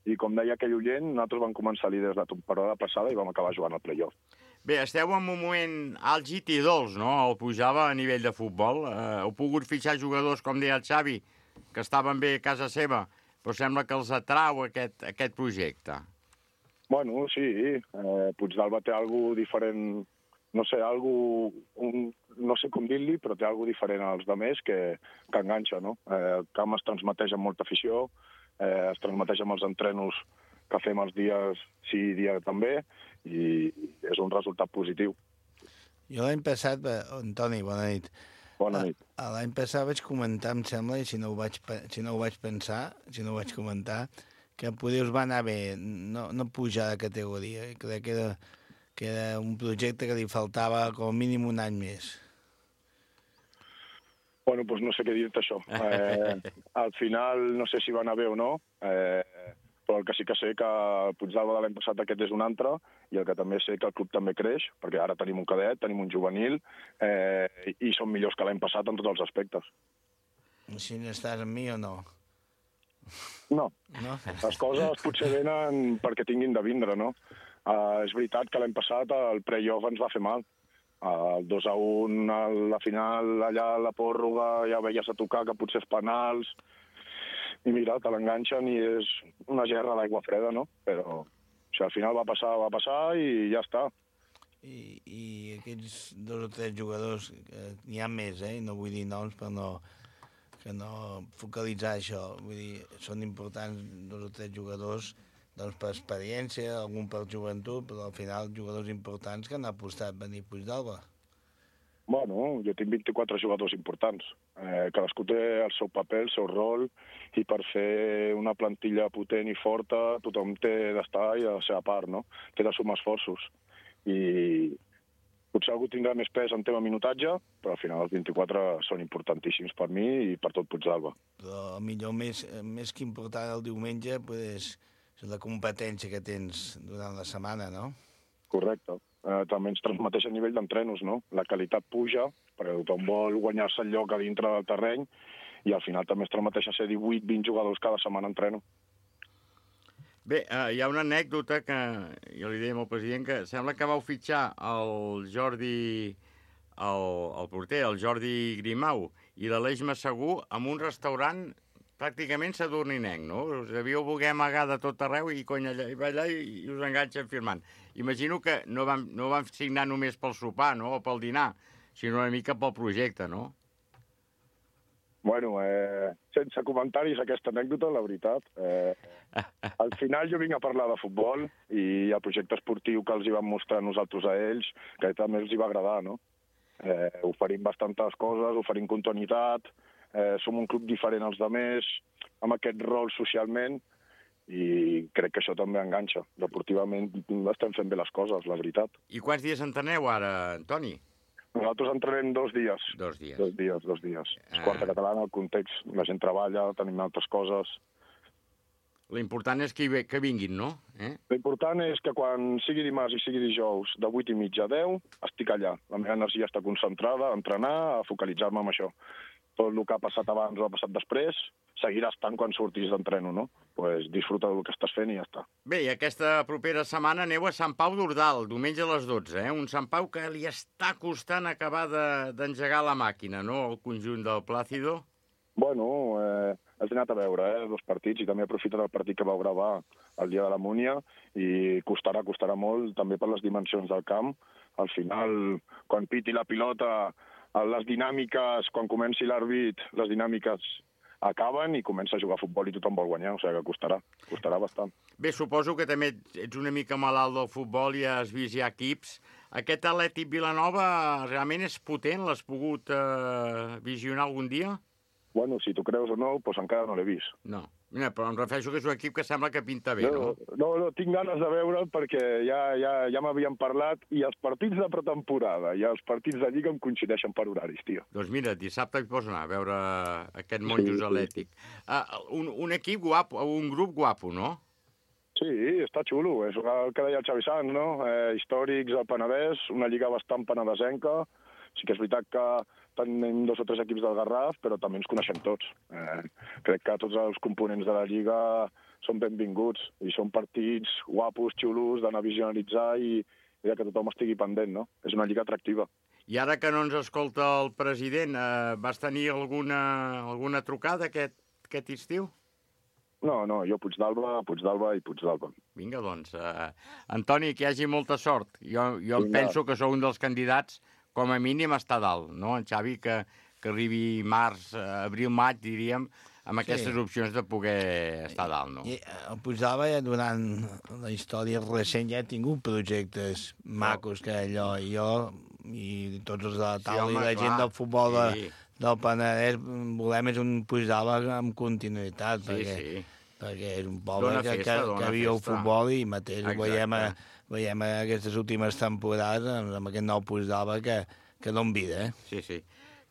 i, com deia aquell oient, nosaltres vam començar líders la temporada passada i vam acabar jugant al playoff. Bé, esteu en un moment àlgid i dolç, no? El pujava a nivell de futbol. Heu pogut fitxar jugadors, com deia el Xavi, que estaven bé a casa seva, però sembla que els atrau aquest projecte. Bueno, sí. Puigdàlber té alguna diferent, no sé, no sé com dir-li, però té alguna diferent als altres que enganxa, no? El camp es transmeteix amb molta afició, es transmeteix amb els entrenos que fem els dies sí i dia també, i és un resultat positiu. Jo l'any passat, Antoni, bona nit. Bona nit. L'any passat vaig comentar, em sembla, i si no ho vaig comentar, que poder us va anar bé no pujar de categoria. Crec que era un projecte que li faltava com a mínim un any més. Bueno, doncs no sé què dir-te això. Al final no sé si va anar bé o no, però el que sí que sé que el Puigdàlber de l'any passat aquest és un altre, i el que també sé que el club també creix, perquè ara tenim un cadet, tenim un juvenil, i som millors que l'any passat en tots els aspectes. Si n'estàs amb mi o no? No. Les coses potser venen perquè tinguin de vindre, no? És veritat que l'any passat el playoff ens va fer mal. El 2-1 a la final, allà a la pròrroga, ja veies a tocar que potser és penals, i mira, te l'enganxen i és una gerra d'aigua freda, no? Però al final va passar i ja està. I aquests 2 o 3 jugadors, n'hi ha més, no vull dir noms per no focalitzar això. Vull dir, són importants 2 o 3 jugadors doncs per experiència, algun per joventut, però al final jugadors importants que han apostat venir Puigdàlber. Bueno, jo tinc 24 jugadors importants. Cadascú té el seu paper, el seu rol, i per fer una plantilla potent i forta tothom té d'estar i a la seva part, no? Té de sumar esforços. I potser algú tindrà més pes en tema minutatge, però al final els 24 són importantíssims per mi i per tot Puigdàlber. Però millor més que important el diumenge, és la competència que tens durant la setmana, no? Correcte. També ens transmeteix a nivell d'entrenos, no? La qualitat puja, perquè tothom vol guanyar-se el lloc a dintre del terreny, i al final també es transmeteix a ser 18-20 jugadors cada setmana entreno. Bé, hi ha una anècdota que jo li deia al president, que sembla que vau fitxar el Jordi, el porter, el Jordi Grimau, i l'Aleix Massaguer en un restaurant pràcticament sadurninenc, no? Us devíeu voler amagar de tot arreu i va allà i us enganxen firmant. Imagino que no vam signar només pel sopar, no?, o pel dinar, sinó una mica pel projecte, no? Bueno, sense comentaris aquesta anècdota, la veritat. Al final jo vinc a parlar de futbol i el projecte esportiu que els hi vam mostrar nosaltres a ells, que també els hi va agradar, no? Oferim bastantes coses, oferim continuïtat, som un club diferent als altres, amb aquest rol socialment, i crec que això també enganxa. Deportivament estem fent bé les coses, la veritat. I quants dies entreneu ara, Antoni? Nosaltres entrenem 2 dies. 2 dies. 2 dies. És quarta catalana, el context, la gent treballa, tenim altres coses. L'important és que vinguin, no? L'important és que quan sigui dimarts i sigui dijous, de 8:30 a 10, estic allà. La meva energia està concentrada a entrenar, a focalitzar-me en això. Tot el que ha passat abans o ha passat després, seguirà estant quan surtis d'entreno, no? Pues disfruta del que estàs fent i ja està. Bé, i aquesta propera setmana aneu a Sant Pau d'Ordal, diumenge a les 12, Un Sant Pau que li està costant acabar d'engegar la màquina, no?, el conjunt del Plácido. Bueno, has anat a veure 2 partits, i també aprofitat el partit que vau gravar el dia de la Múnia, i costarà molt, també per les dimensions del camp. Al final, quan piti la pilota, les dinàmiques, quan comenci l'àrbit, les dinàmiques acaben i comença a jugar a futbol i tothom vol guanyar, o sigui que costarà bastant. Bé, suposo que també ets una mica malalt del futbol i has vist ja equips. Aquest Atlètic Vilanova realment és potent? L'has pogut visionar algun dia? Bueno, si tu creus o no, doncs encara no l'he vist. No, mira, però em refereixo que és un equip que sembla que pinta bé, no? No, tinc ganes de veure'l perquè ja m'havien parlat i els partits de pretemporada i els partits de Lliga em coincideixen per horaris, tio. Doncs mira, dissabte hi pots anar a veure aquest Monjos Atlètic. Un equip guapo, un grup guapo, no? Sí, està xulo, és el que deia el Xavi Sanz, no? Històrics al Penedès, una lliga bastant penedesenca. Sí que és veritat que tenim 2 o 3 equips del Garraf, però també ens coneixem tots. Crec que tots els components de la Lliga són benvinguts i són partits guapos, xulos, d'anar a visionalitzar i que tothom estigui pendent, no? És una lliga atractiva. I ara que no ens escolta el president, vas tenir alguna trucada aquest estiu? No, jo Puigdàlber i Puigdàlber. Vinga, doncs. Antoni, que hi hagi molta sort. Jo em penso que sou un dels candidats com a mínim està dalt, no? En Xavi, que arribi març, abril, maig, diríem, amb aquestes opcions de poder estar dalt, no? El Puigdàlber, durant la història recent, ja ha tingut projectes macos, que jo i tots els de la taula i la gent del futbol del Penedès volem és un Puigdàlber amb continuïtat, perquè és un poble que viu el futbol i mateix ho veiem aquestes últimes temporades amb aquest nou Puigdàlber que dona vida. Sí.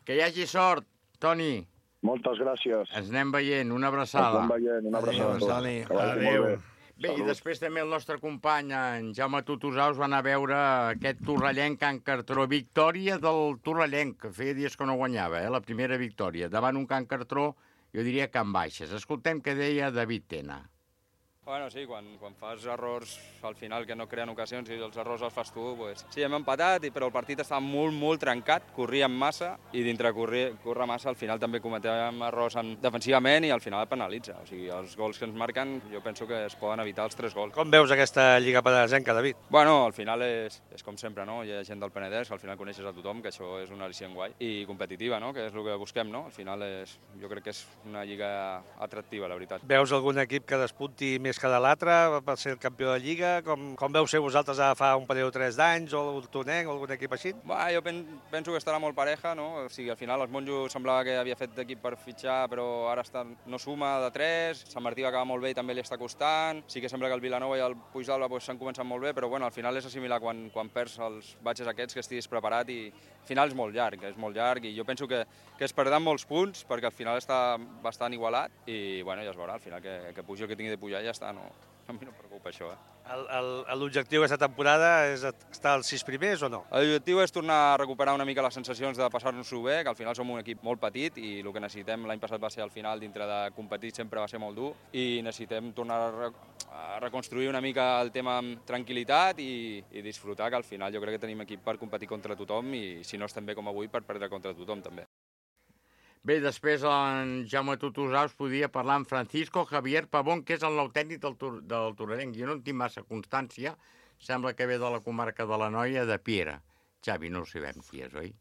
Que hi hagi sort, Toni. Moltes gràcies. Ens anem veient. Una abraçada. Una abraçada. Adéu. Bé, i després també el nostre company, en Jaume Tutusaus, va anar a veure aquest torrellenc Can Cartró. Victòria del torrellenc, que feia dies que no guanyava, la primera victòria. Davant un Can Cartró, jo diria que en baixes. Escoltem què deia David Tena. Bueno, sí, quan fas errors al final que no creen ocasions i els errors els fas tu, pues, sí, hem empatat, però el partit estava molt trencat, corríem massa i dintre córrer massa al final també cometèiem errors defensivament i al final penalitza. O sigui, els gols que ens marquen jo penso que es poden evitar els 3 gols. Com veus aquesta Lliga Penedesenca, David? Bueno, al final és com sempre, no? Hi ha gent del Penedès, al final coneixes a tothom, que això és una al·licient guai i competitiva, no? Que és el que busquem, no? Al final jo crec que és una lliga atractiva, la veritat. Veus algun equip que despunti més que de l'altre per ser el campió de Lliga? Com veu ser vosaltres fa un parell o 3 d'anys, o el Tonenc, o algun equip així? Jo penso que estarà molt pareja, no? O sigui, al final els Monjos semblava que havia fet d'equip per fitxar, però ara no suma de 3, Sant Martí va acabar molt bé i també li està costant, sí que sembla que el Vilanova i el Puigdàlber s'han començat molt bé, però bueno, al final és assimilar quan perds els batxes aquests, que estiguis preparat i al final és molt llarg i jo penso que es perdran molts punts perquè al final està bastant igualat i bueno, ja es veurà, al final que pugi el que tingui de pujar ja està, no? A mi no em preocupa això, L'objectiu d'aquesta temporada és estar als 6 primers o no? L'objectiu és tornar a recuperar una mica les sensacions de passar-nos-ho bé, que al final som un equip molt petit i el que necessitem l'any passat va ser al final, dintre de competir sempre va ser molt dur i necessitem tornar a reconstruir una mica el tema amb tranquil·litat i disfrutar, que al final jo crec que tenim equip per competir contra tothom i si no estem bé com avui per perdre contra tothom també. Bé, després en Jaume Tutusaus podia parlar amb Francisco Javier Pavón, que és el nou tècnic del torrellenc. Jo no en tinc massa constància, sembla que ve de la comarca de l'Anoia, de Piera. Xavi, no ho sabem qui és, oi?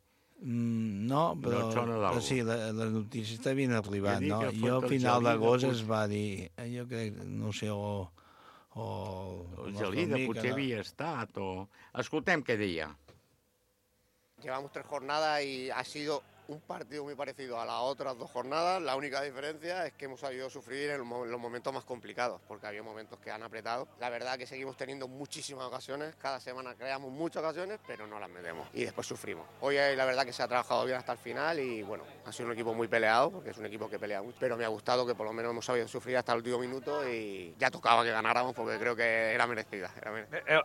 No, però sí, les notícies t'havien arribat, no? Jo a final d'agost es va dir, jo crec, no sé, el Gelida potser havia estat, o... Escoltem què deia. Llevamos 3 jornadas y ha sido un partido muy parecido a las otras 2 jornadas. La única diferencia es que hemos sabido sufrir en los momentos más complicados, porque había momentos que han apretado. La verdad que seguimos teniendo muchísimas ocasiones, cada semana creamos muchas ocasiones, pero no las metemos y después sufrimos. Hoy la verdad que se ha trabajado bien hasta el final y bueno, ha sido un equipo muy peleado, porque es un equipo que pelea mucho, pero me ha gustado que por lo menos hemos sabido sufrir hasta el último minuto y ja tocava que ganáramos porque creo que era merecida.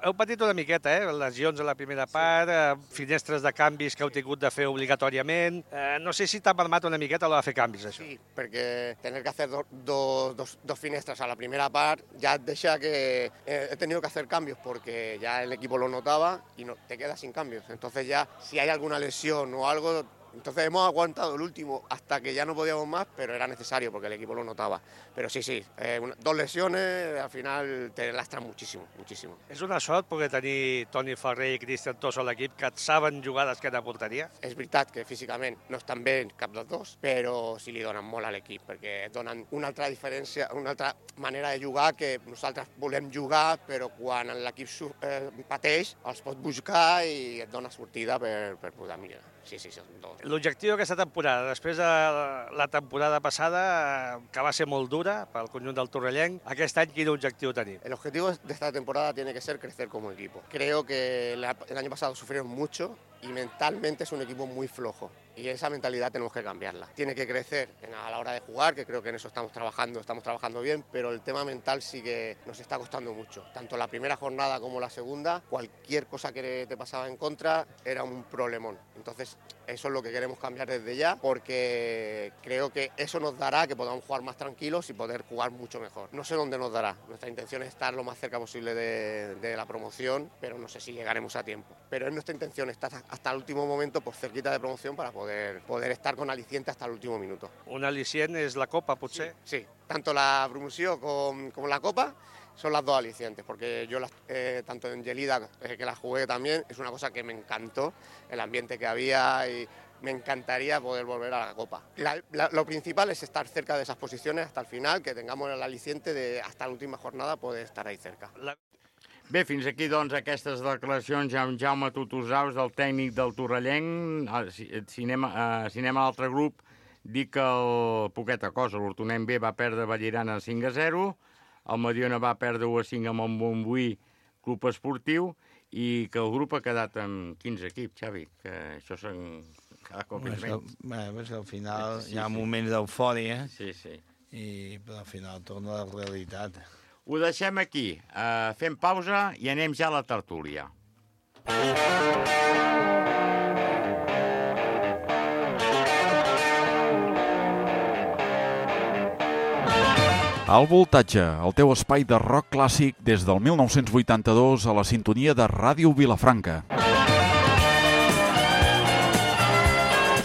Heu patit una miqueta, lesions a la primera part, finestres de canvis que heu tingut de fer obligatòriament. No sé si t'ha permet una miqueta de fer canvis, això. Sí, perquè tener que hacer dos finestras a la primera part ya deja que he tenido que hacer cambios porque ya el equipo lo notaba y no, te quedas sin cambios. Entonces ya si hay alguna lesión o algo Entonces hemos aguantado el último hasta que ya no podíamos más, pero era necesario porque el equipo lo notaba. Pero sí, 2 lesiones al final te lastran muchísimo, muchísimo. És una sort poder tenir Toni Ferrer i Cristian Tosso a l'equip que et saben jugar d'esquena a porteria? És veritat que físicament no estan bé cap dels dos, però sí li donen molt a l'equip, perquè donen una altra diferència, una altra manera de jugar que nosaltres volem jugar, però quan l'equip pateix els pot buscar i et dona sortida per poder millorar. Sí, són dos. L'objectiu d'aquesta temporada, després de la temporada passada, que va ser molt dura pel conjunt del torrellenc, aquest any quin objectiu tenim? El objetivo de esta temporada tiene que ser crecer como equipo. Creo que el año pasado sufrieron mucho y mentalmente es un equipo muy flojo. Y esa mentalidad tenemos que cambiarla. Tiene que crecer a la hora de jugar, que creo que en eso estamos trabajando bien, pero el tema mental sí que nos está costando mucho. Tanto la primera jornada como la segunda, cualquier cosa que te pasaba en contra era un problemón. Entonces, eso es lo que queremos cambiar desde ya, porque creo que eso nos dará que podamos jugar más tranquilos y poder jugar mucho mejor. No sé dónde nos dará. Nuestra intención es estar lo más cerca posible de la promoción, pero no sé si llegaremos a tiempo. Pero es nuestra intención estar hasta el último momento, pues cerquita de promoción, para poder estar con aliciente hasta el último minuto. Un al·licient és la Copa, potser? Sí. Tanto la promoción como la Copa son las dos alicientes, porque yo tanto en Gelida, que la jugué también, es una cosa que me encantó, el ambiente que había y me encantaría poder volver a la Copa. Lo principal es estar cerca de esas posiciones hasta el final, que tengamos el aliciente de hasta la última jornada poder estar ahí cerca. Bé, fins aquí, doncs, aquestes declaracions amb Jaume Tutusaus, el tècnic del Torrellenc. Cinema a l'altre grup, dic que poqueta cosa. L'Hortonem B va perdre Vallirana 5-0, el Mediona va perdre 1-5 amb el Montbui Club Esportiu i que el grup ha quedat amb 15 equips, Xavi, que això són cada cop és menys. Bé, al final hi ha moments d'eufòria, però al final torna a la realitat. Ho deixem aquí, fem pausa i anem ja a la tertúlia. Al Voltatge, el teu espai de rock clàssic des del 1982 a la sintonia de Ràdio Vilafranca.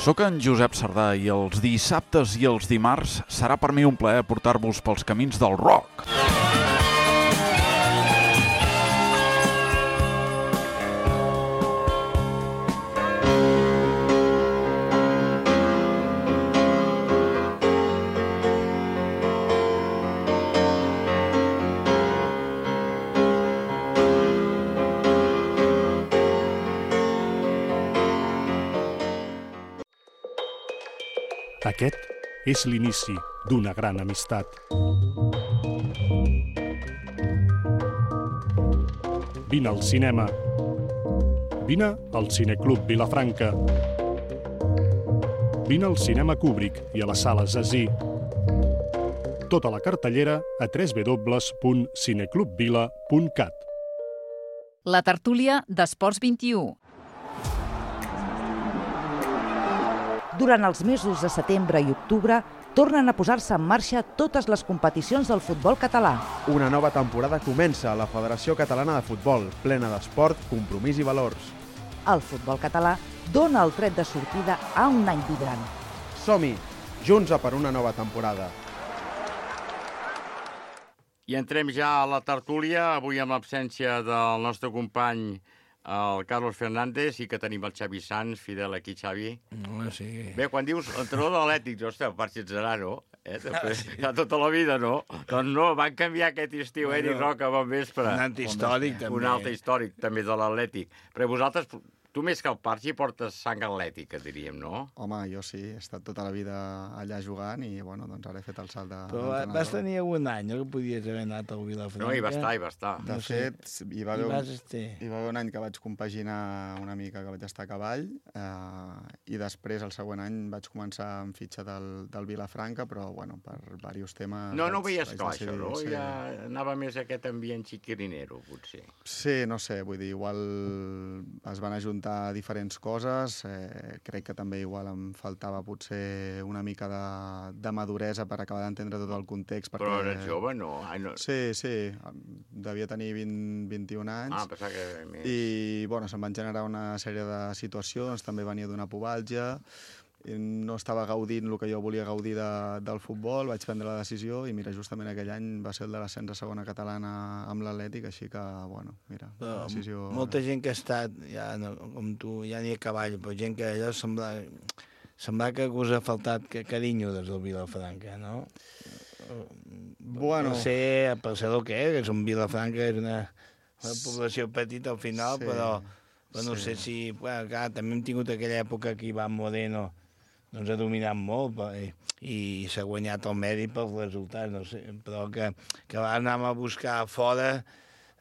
Soc en Josep Sardà i els dissabtes i els dimarts serà per mi un plaer portar-vos pels camins del rock. Aquest és l'inici d'una gran amistat. Vine al cinema. Vine al Cineclub Vilafranca. Vine al Cinema Kubrick i a les sales Zazí. Tota la cartellera a www.cineclubvila.cat. La tertúlia d'Esports 21. Durant els mesos de setembre i octubre, tornen a posar-se en marxa totes les competicions del futbol català. Una nova temporada comença a la Federació Catalana de Futbol, plena d'esport, compromís i valors. El futbol català dona el tret de sortida a un any vibrant. Som-hi, junts a per una nova temporada. I entrem ja a la tertúlia, avui amb l'absència del nostre company el Carlos Fernández, i que tenim el Xavi Sanz, fidel aquí, Xavi. Sí. Bé, quan dius entrenador de l'Atlètic, ostres, per si ets no? Ja tota la vida, no? Doncs no, van canviar aquest estiu, Eric Roca, bon vespre. Un altre històric, també. Un altre històric, també, de l'Atlètic. Però vosaltres, tu més que el Pargi, portes sang atlètica, diríem, no? Home, jo sí, he estat tota la vida allà jugant i, bueno, doncs ara he fet el salt de... Però vas tenir un any, no? Que podies haver anat al Vilafranca. No, hi va estar. De fet, hi va haver un any que vaig compaginar una mica, que vaig estar a cavall, i després, el següent any, vaig començar amb fitxa del Vilafranca, però, bueno, per diversos temes... No ho veies clar, això, no? Ja anava més aquest ambient xiquirinero, potser. Sí, no sé, vull dir, igual es van ajuntar intentar diferents coses. Crec que també igual em faltava potser una mica de maduresa per acabar d'entendre tot el context. Perquè... Però eres jove, no? Sí, devia tenir 21 anys. Pensava que més. I, bueno, se'm van generar una sèrie de situacions, també venia d'una pubalgia, no estava gaudint el que jo volia gaudir del futbol, vaig prendre la decisió i mira, justament aquell any va ser el de l'ascens a segona catalana amb l'Atlètic, així que, bueno, mira, la decisió... Molta gent que ha estat, ja, no, com tu, ja n'hi ha cavall, però gent que allò sembla que us ha faltat carinyo des del Vilafranca, no? Bueno... Per ser el que és un Vilafranca, és una població petita al final, però no sé si... Bueno, clar, també hem tingut aquella època que Ivan Moreno doncs ha dominat molt i s'ha guanyat el mèrit pels resultats, no sé, però que anàvem a buscar fora,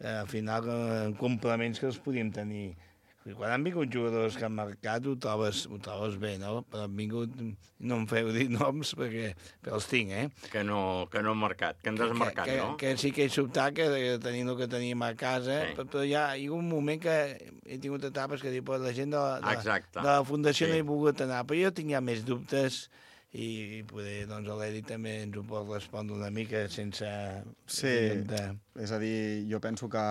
al final, complements que els podíem tenir. Quan han vingut jugadors que han marcat ho trobes bé, no? Però han vingut, no em feu dir noms perquè els tinc, Que no han marcat, que han desmarcat, no? Que sí que he sobtat que tenim el que teníem a casa, però hi ha un moment que he tingut etapes que dic, la gent de la Fundació no hi ha volgut anar, però jo tinc ja més dubtes i poder, doncs, l'Èric també ens ho pot respondre una mica sense... Sí, és a dir, jo penso que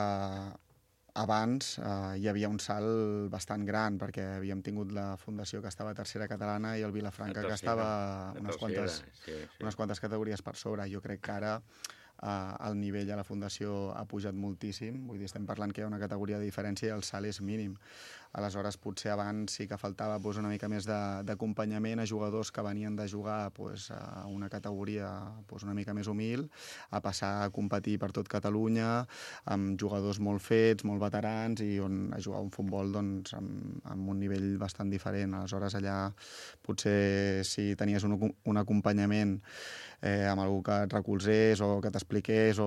abans hi havia un salt bastant gran, perquè havíem tingut la Fundació que estava a tercera catalana i el Vilafranca que estava unes quantes categories per sobre. Jo crec que ara el nivell a la Fundació ha pujat moltíssim, vull dir, estem parlant que hi ha una categoria de diferència i el salt és mínim. Aleshores, potser abans sí que faltava una mica més d'acompanyament a jugadors que venien de jugar a una categoria una mica més humil, a passar a competir per tot Catalunya, amb jugadors molt fets, molt veterans, i a jugar un futbol amb un nivell bastant diferent. Aleshores, allà potser si tenies un acompanyament amb algú que et recolzés o que t'expliqués,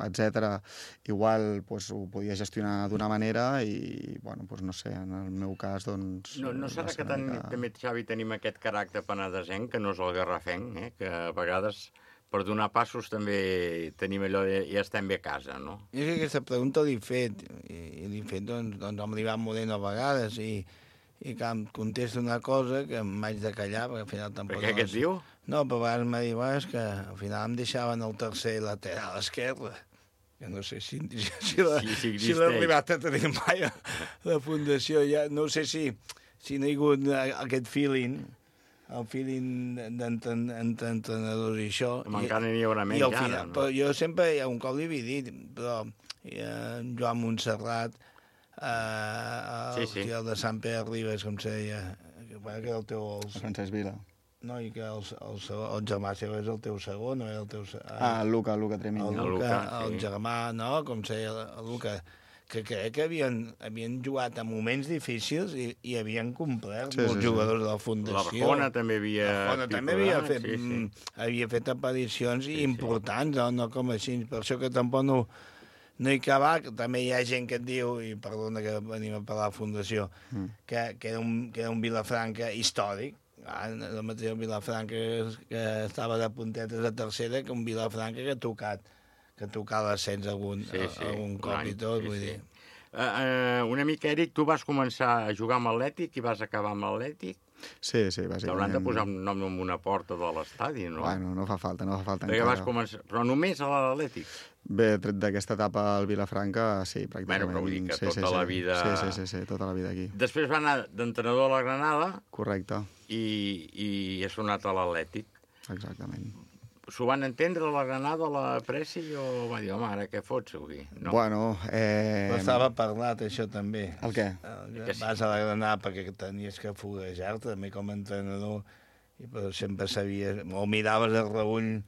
etc., igual ho podies gestionar d'una manera i, bueno, no sé, en el meu cas, doncs... No serà que també, Xavi, tenim aquest caràcter penedesenc, que no és el garrafenc, que a vegades per donar passos també tenim allò de ja estem bé a casa, no? Jo crec que aquesta pregunta l'he fet, doncs, amb l'Ivan Moreno a vegades, i que em contesta una cosa que m'haig de callar, perquè al final tampoc... Per què et diu? No, però a vegades m'ha dit, és que al final em deixaven el tercer lateral esquerre, que no sé si l'ha arribat a tenir mai a la Fundació, ja no sé si no hi ha hagut aquest feeling, el feeling d'entrenadors i això. Com encara n'hi haurà menys ara, no? Però jo sempre, un cop li havia dit, però Joan Montserrat, el de Sant Pere Ribes, com se deia, que era el teu... Francesc Vila. No, i que el germà seu és el teu segon, no era el teu... el Luca Tremini. El germà, no?, com se deia, el Luca, que crec que havien jugat a moments difícils i havien complert molts jugadors de la Fundació. La Rafona també havia fet aparicions importants, no com així, per això que tampoc no hi cabà, també hi ha gent que et diu, i perdona que venim a parlar de la Fundació, que era un Vilafranca històric, el mateix Vilafranca que estava de puntetes a tercera, que un Vilafranca que ha tocat l'ascens algun cop i tot, vull dir. Una mica, Eric, tu vas començar a jugar amb l'Atlètic i vas acabar amb l'Atlètic? Sí, bàsicament. T'hauran de posar un nom en una porta de l'estadi, no? Bueno, no fa falta perquè vas començar... Però només a l'Atlètic? Bé, tret d'aquesta etapa al Vilafranca, sí, pràcticament. Bueno, però vull dir que tota la vida... Sí, tota la vida aquí. Després va anar d'entrenador a la Granada... Correcte. I ha sonat a l'Atlètic. Exactament. S'ho van entendre a la Granada, a la Presi, o va dir, home, ara què fots avui? No. Bueno, estava parlat, això, també. El què? Vas a la Granada perquè tenies que foguejar-te, també com a entrenador, però sempre sabies, o miraves el reull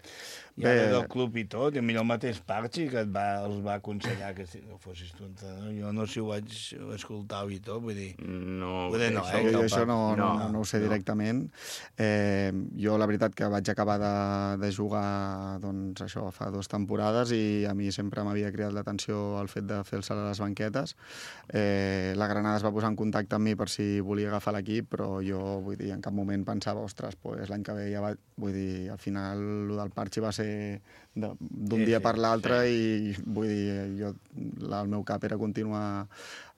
ja del club i tot, i millor el mateix Parchi que els va aconsellar que no fossis tu entrenador. Jo no si ho vaig escoltar i tot, vull dir... Això no ho sé directament. Jo, la veritat, que vaig acabar de jugar, doncs, això, fa 2 temporades, i a mi sempre m'havia cridat l'atenció el fet de fer el salt a les banquetes. La Granada es va posar en contacte amb mi per si volia agafar l'equip, però jo, vull dir, en cap moment pensava, ostres, l'any que ve ja va... Vull dir, al final, el del Parchi va ser d'un dia per l'altre, i vull dir, el meu cap era continuar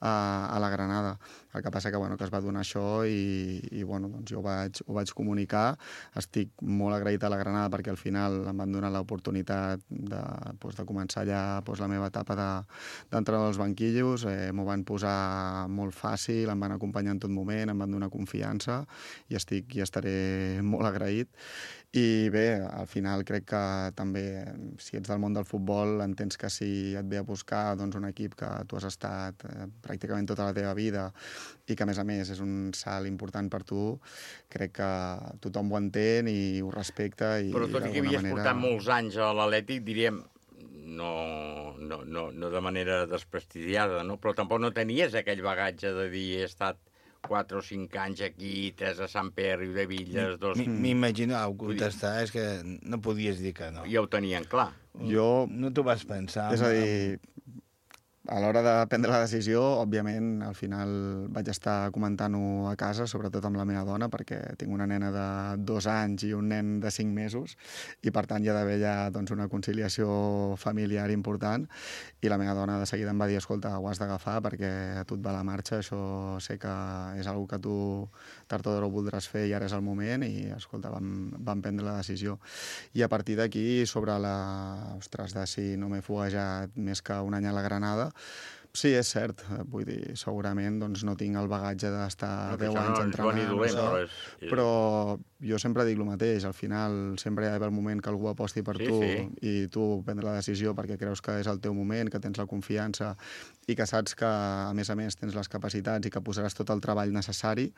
a la Granada. El que passa que es va donar això i doncs jo ho vaig comunicar. Estic molt agraït a la Granada perquè al final em van donar l'oportunitat de començar allà la meva etapa d'entrenador als banquillos. M'ho van posar molt fàcil, em van acompanyar en tot moment, em van donar confiança i estaré molt agraït. I bé, al final crec que també, si ets del món del futbol, entens que si et ve a buscar un equip que tu has estat pràcticament tota la teva vida i que, a més, és un salt important per tu, crec que tothom ho entén i ho respecta. Però tot i que havies portat molts anys a l'Atlètic, diríem, no de manera desprestigiada, no? Però tampoc no tenies aquell bagatge de dir he estat 4 o 5 anys aquí, 3 a Sant Pere, de Villes, 2... M'imagino, contestar, és que no podies dir que no. Ja ho tenien clar. Jo... No t'ho vas pensar. És a dir, a l'hora de prendre la decisió, òbviament, al final vaig estar comentant-ho a casa, sobretot amb la meva dona, perquè tinc una nena de 2 anys i un nen de 5 mesos, i per tant hi ha d'haver ja una conciliació familiar important, i la meva dona de seguida em va dir, escolta, ho has d'agafar perquè a tu et va la marxa, això sé que és una cosa que tu tard o d'hora ho voldràs fer i ara és el moment, i escolta, vam prendre la decisió. I a partir d'aquí, sobre de si no m'he foguejat més que un any a la Granada, sí, és cert, vull dir, segurament no tinc el bagatge d'estar 10 anys entrenant, però jo sempre dic el mateix, al final sempre hi ha d'haver el moment que algú aposti per tu i tu prendre la decisió perquè creus que és el teu moment, que tens la confiança i que saps que, a més, tens les capacitats i que posaràs tot el treball necessari.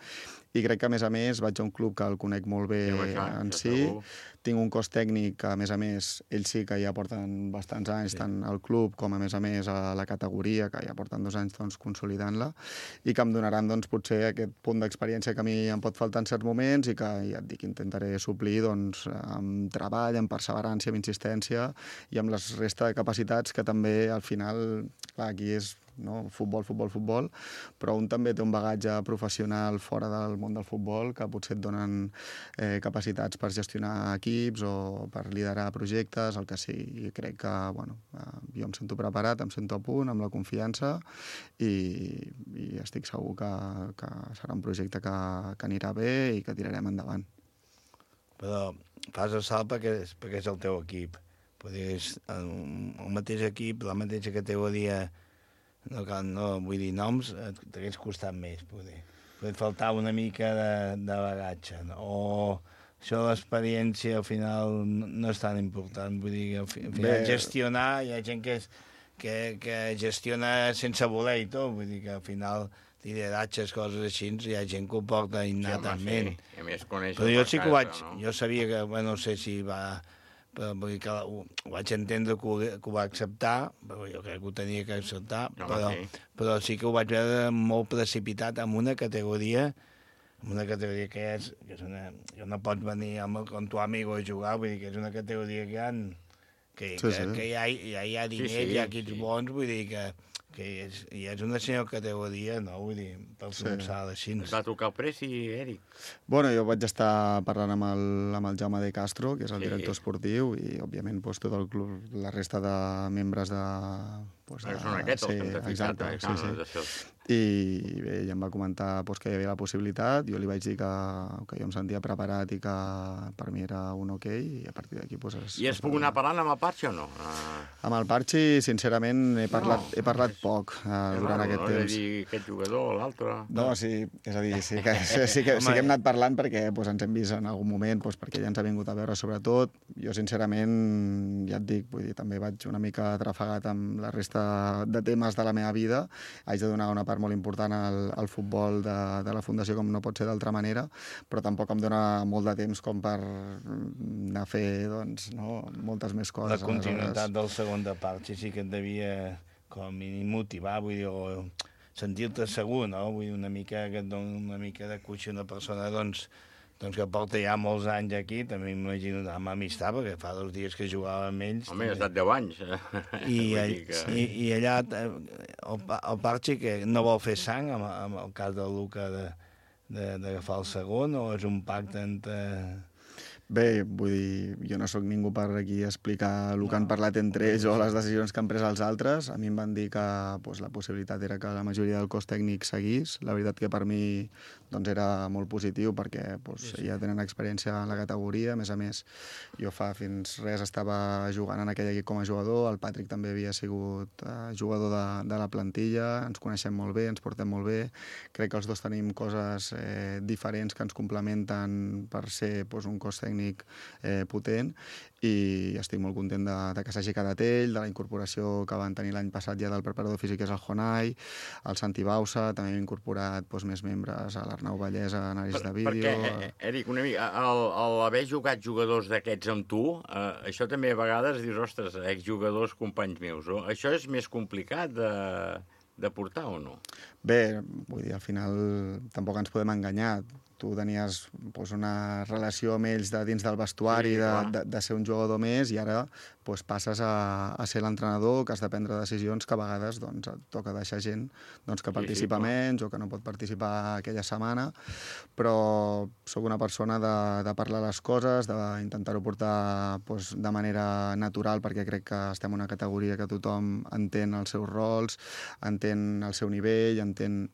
I crec que, a més, vaig a un club que el conec molt bé en si, tinc un cos tècnic que, a més, ells sí que ja porten bastants anys, tant al club com, a més, a la categoria, que ja porten 2 anys consolidant-la, i que em donaran potser aquest punt d'experiència que a mi em pot faltar en certs moments i que, ja et dic, intentaré suplir amb treball, amb perseverança, amb insistència i amb la resta de capacitats que també, al final, clar, aquí és futbol, però un també té un bagatge professional fora del món del futbol que potser et donen capacitats per gestionar equips o per liderar projectes, el que sigui. I crec que, jo em sento preparat, em sento a punt, amb la confiança i estic segur que serà un projecte que anirà bé i que tirarem endavant. Però fas el salt perquè és el teu equip. És el mateix equip, la mateixa categoria. No vull dir noms, t'hagués costat més, poder. Pot faltar una mica de bagatge, o això de l'experiència al final no és tan important, vull dir, al final gestionar, hi ha gent que gestiona sense voler i tot, vull dir que al final lideratges, coses així, hi ha gent que ho porta innatament. Però jo sí que ho vaig, jo sabia que, no sé si va... Però vull dir que ho vaig entendre que ho va acceptar, però jo crec que ho tenia que acceptar, però sí que ho vaig veure molt precipitat en una categoria que és una... Jo no pots venir amb tu amigo a jugar, vull dir que és una categoria que hi ha diners, hi ha equips bons, vull dir que és una senyora categoria, no? Vull dir, per començar així. Et va tocar el preci, Eric? Bueno, jo vaig estar parlant amb el Jaume de Castro, que és el director esportiu, i, òbviament, tot el club, la resta de membres de... Són aquests els que hem de fixar. I bé, ell em va comentar que hi havia la possibilitat, jo li vaig dir que jo em sentia preparat i que per mi era un ok, i a partir d'aquí... I has pogut anar parlant amb el Parchi o no? Amb el Parchi, sincerament, he parlat poc durant aquest temps. No, és a dir, aquest jugador o l'altre... No, sí, és a dir, sí que hem anat parlant perquè ens hem vist en algun moment, perquè ja ens ha vingut a veure, sobretot. Jo, sincerament, ja et dic, vull dir, també vaig una mica atrafegat amb la resta de temes de la meva vida. Haig de donar una part molt important al futbol de la Fundació, com no pot ser d'altra manera, però tampoc em dona molt de temps com per anar a fer moltes més coses. La continuïtat del segon de Parchi sí que et devia com a mínim motivar, vull dir, o sentir-te segur, no? Vull dir, una mica que et dona una mica de cuixa una persona, doncs que porta ja molts anys aquí, també m'imagino amb amistat, perquè fa 2 dies que jugava amb ells. Home, ha estat 10 anys. I allà el Parchi que no vol fer sang, amb el cas del Luca d'agafar el segon, o és un pacte entre... Bé, vull dir, jo no sóc ningú per aquí explicar el que han parlat entre ells o les decisions que han pres els altres. A mi em van dir que la possibilitat era que la majoria del cos tècnic seguís. La veritat que per mi era molt positiu perquè ja tenen experiència en la categoria. A més, jo fins res estava jugant en aquell equip com a jugador. El Patrick també havia sigut jugador de la plantilla. Ens coneixem molt bé, ens portem molt bé. Crec que els dos tenim coses diferents que ens complementen per ser un cos tècnic potent, i estic molt content de que s'hagi quedat ell, de la incorporació que van tenir l'any passat ja del preparador físic, que és el Jonai, el Santi Bausa, també hem incorporat més membres, a l'Arnau Vallès, a anàlisi de vídeo... Perquè, Eric, una mica, haver jugat jugadors d'aquests amb tu, això també a vegades dius, ostres, exjugadors companys meus, això és més complicat de portar o no? Bé, vull dir, al final tampoc ens podem enganyar. Tu tenies una relació amb ells dins del vestuari, de ser un jugador més, i ara passes a ser l'entrenador, que has de prendre decisions que a vegades et toca deixar gent que participa menys o que no pot participar aquella setmana, però sóc una persona de parlar les coses, d'intentar-ho portar de manera natural, perquè crec que estem en una categoria que tothom entén els seus rols, entén el seu nivell, entén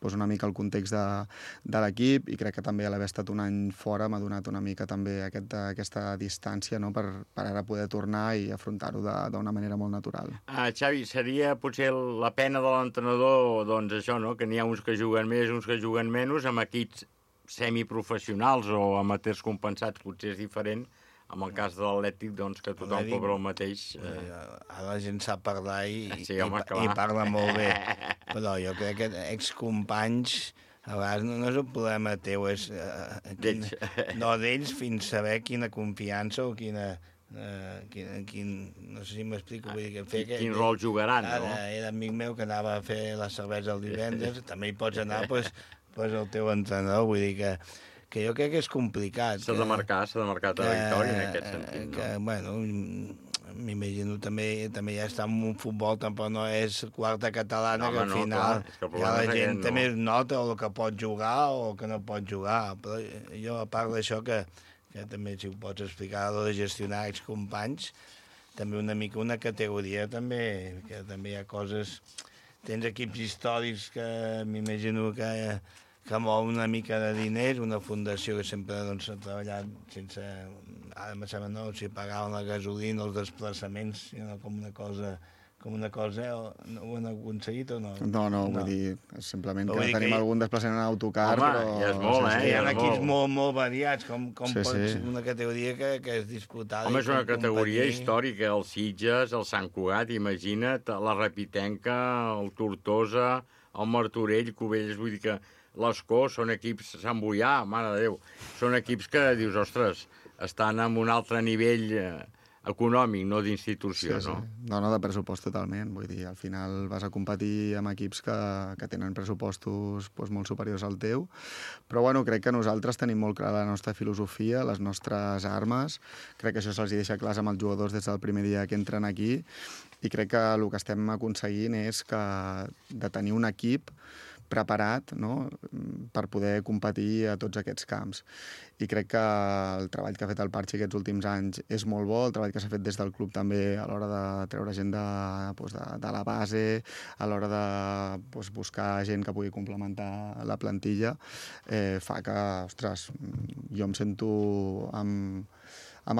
una mica el context de l'equip, i crec que també a l'haver estat un any fora m'ha donat una mica també aquesta distància per ara poder tornar i afrontar-ho d'una manera molt natural. Xavi, seria potser la pena de l'entrenador, això, que n'hi ha uns que juguen més, uns que juguen menys, amb equips semiprofessionals o amateurs compensats, potser és diferent. En el cas de l'Atlètic, que tothom cobra el mateix... Ara la gent sap parlar i parla molt bé. Però jo crec que excompanys, a vegades no és un problema teu, és... No, d'ells, fins saber quina confiança o quina... no sé si m'explico. Quin rol jugaran, no? Ara era amic meu que anava a fer la cervesa el divendres, també hi pots anar el teu entrenador, vull dir que jo crec que és complicat. S'ha de marcar territori en aquest sentit, no? Bueno, m'imagino també ja està en un futbol, tampoc no és quarta catalana, que al final ja la gent també nota el que pot jugar o que no pot jugar. Però jo, a part d'això, que també si ho pots explicar, de gestionar excompanys, també una mica una categoria, també, que també hi ha coses... Tens equips històrics que m'imagino que mou una mica de diners, una fundació que sempre ha treballat sense... Ara me sembla, no, si pagaven la gasolina, els desplaçaments, com una cosa... Ho han aconseguit o no? No, vull dir, simplement que tenim algun desplaçament en autocar, però... ja és molt, Hi ha equips molt variats, com pot ser una categoria que és disputada. Home, és una categoria històrica, el Sitges, el Sant Cugat, imagina't, la Repitenca, el Tortosa, el Martorell, Cubells, vull dir que l'Escó són equips, Sant Boià, mare de Déu, són equips que dius, ostres, estan en un altre nivell econòmic, no d'institució, no? No, de pressupost totalment. Vull dir, al final vas a competir amb equips que tenen pressupostos molt superiors al teu, però bueno, crec que nosaltres tenim molt clar la nostra filosofia, les nostres armes, crec que això se'ls deixa clars amb els jugadors des del primer dia que entren aquí, i crec que el que estem aconseguint és de tenir un equip preparat, no?, per poder competir a tots aquests camps. I crec que el treball que ha fet el Parchi aquests últims anys és molt bo, el treball que s'ha fet des del club també a l'hora de treure gent de la base, a l'hora de buscar gent que pugui complementar la plantilla, fa que, ostres, jo em sento amb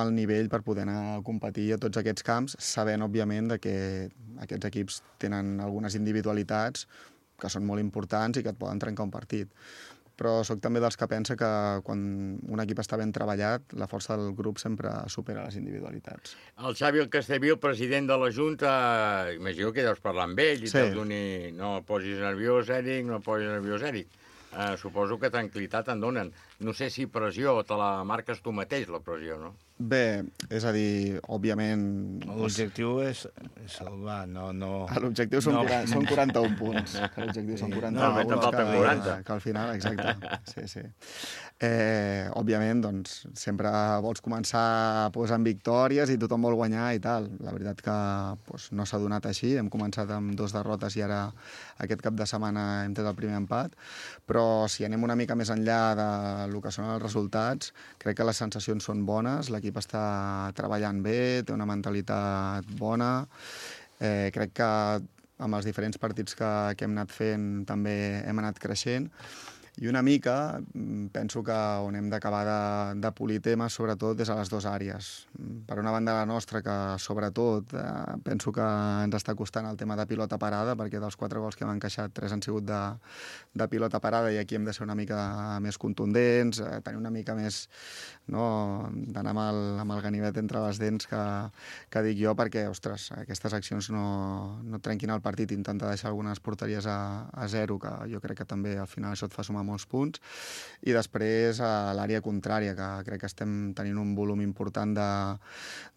el nivell per poder anar a competir a tots aquests camps, sabent, òbviament, que aquests equips tenen algunes individualitats que són molt importants i que et poden trencar un partit. Però sóc també dels que pensa que quan un equip està ben treballat, la força del grup sempre supera les individualitats. El Xavi Castellví, el president de la Junta, imagino que deus parlar amb ell i te'l doni, no posis nerviós, Eric, no posis nerviós, Eric. Suposo que tranquil·litat en donen. No sé si pressió te la marques tu mateix, la pressió, no? Bé, és a dir, òbviament... L'objectiu és salvar, no... L'objectiu són 41 punts. L'objectiu són 41 punts. Que al final, exacte. Sí. Òbviament, doncs, sempre vols començar amb victòries i tothom vol guanyar i tal. La veritat que no s'ha donat així. Hem començat amb 2 derrotes i ara aquest cap de setmana hem tret el primer empat. Però si anem una mica més enllà del que són els resultats, crec que les sensacions són bones, l'equip està treballant bé, té una mentalitat bona. Crec que amb els diferents partits que hem anat fent també hem anat creixent. I una mica penso que on hem d'acabar de polir temes, sobretot, és a les 2 àrees. Per una banda, la nostra, que sobretot penso que ens està costant el tema de pilota parada, perquè dels 4 gols que hem encaixat, 3 han sigut de pilota parada, i aquí hem de ser una mica més contundents, tenir una mica més d'anar amb el ganivet entre les dents, que dic jo, perquè, ostres, aquestes accions no trenquin el partit, intentar deixar algunes porteries a 0, que jo crec que també al final això et fa sumar molts punts, i després a l'àrea contrària, que crec que estem tenint un volum important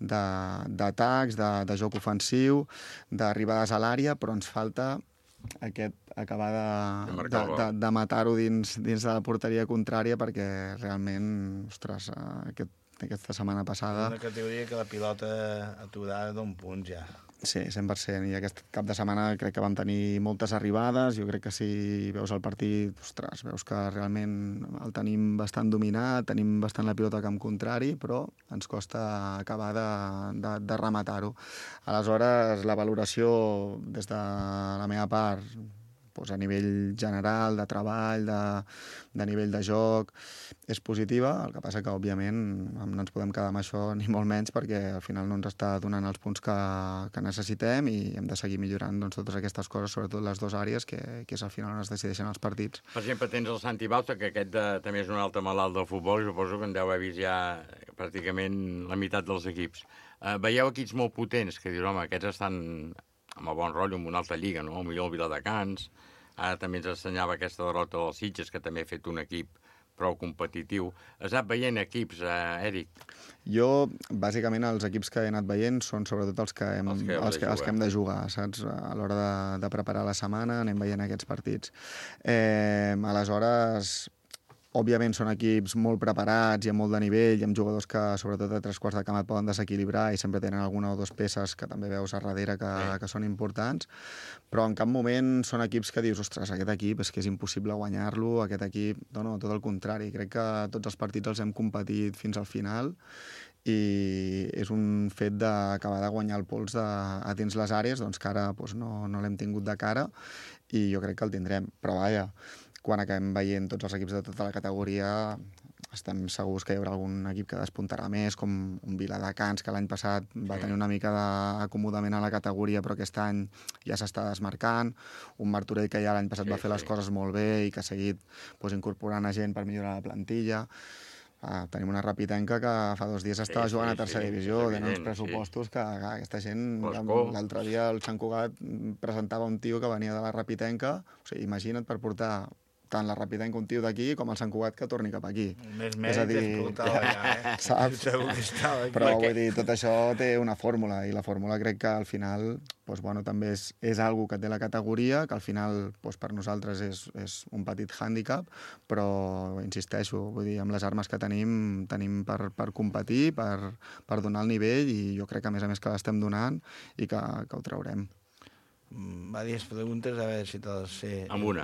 d'atacs, de joc ofensiu, d'arribades a l'àrea, però ens falta acabar de matar-ho dins de la porteria contrària, perquè realment, ostres, aquesta setmana passada... Una categoria que la pilota aturada d'un punt ja. Sí, 100%. I aquest cap de setmana crec que vam tenir moltes arribades. Jo crec que si veus el partit, ostres, veus que realment el tenim bastant dominat, tenim bastant la pilota a camp contrari, però ens costa acabar de rematar-ho. Aleshores, la valoració des de la meva part, a nivell general, de treball, de nivell de joc, és positiva. El que passa que, òbviament, no ens podem quedar amb això ni molt menys, perquè al final no ens està donant els punts que necessitem, i hem de seguir millorant totes aquestes coses, sobretot les 2 àrees, que és al final on es decideixen els partits. Per exemple, tens el Santi Bauta, que aquest també és un altre malalt del futbol, i suposo que en deu haver vist ja pràcticament la meitat dels equips. Veieu equips molt potents, que dius, home, aquests estan amb el bon rotllo, en una altra lliga, no? Potser el Viladecans. Ara també ens assenyava aquesta derrota dels Sitges, que també ha fet un equip prou competitiu. Has anat veient equips, Eric? Jo, bàsicament, els equips que he anat veient són sobretot els que hem de jugar, saps? A l'hora de preparar la setmana anem veient aquests partits. Aleshores, òbviament són equips molt preparats i amb molt de nivell, i amb jugadors que, sobretot a 3 quarts de camp, et poden desequilibrar, i sempre tenen alguna o 2 peces que també veus a darrere que són importants, però en cap moment són equips que dius, ostres, aquest equip és que és impossible guanyar-lo, aquest equip... No, tot el contrari. Crec que tots els partits els hem competit fins al final, i és un fet d'acabar de guanyar el pols a dins les àrees, doncs que ara no l'hem tingut de cara, i jo crec que el tindrem. Però vaja, quan acabem veient tots els equips de tota la categoria, estem segurs que hi haurà algun equip que despuntarà més, com un Viladecans, que l'any passat va tenir una mica d'acomodament a la categoria, però aquest any ja s'està desmarcant, un Martorell que ja l'any passat va fer les coses molt bé i que ha seguit incorporant a gent per millorar la plantilla. Tenim una Rapitenca que fa 2 dies estava jugant a tercera divisió, tenen uns pressupostos que aquesta gent... L'altre dia el Sant Cugat presentava un tio que venia de la Rapitenca, o sigui, imagina't, per portar tant la Rapitenca un tio d'aquí com el Sant Cugat que torni cap aquí. Més mèrit és portar allà, saps? Però vull dir, tot això té una fórmula, i la fórmula crec que al final també és algo que té la categoria, que al final per nosaltres és un petit hàndicap, però insisteixo, vull dir, amb les armes que tenim per competir, per donar el nivell, i jo crec que a més que l'estem donant i que ho traurem. Diverses preguntes, a veure si te'ls sé. Amb una.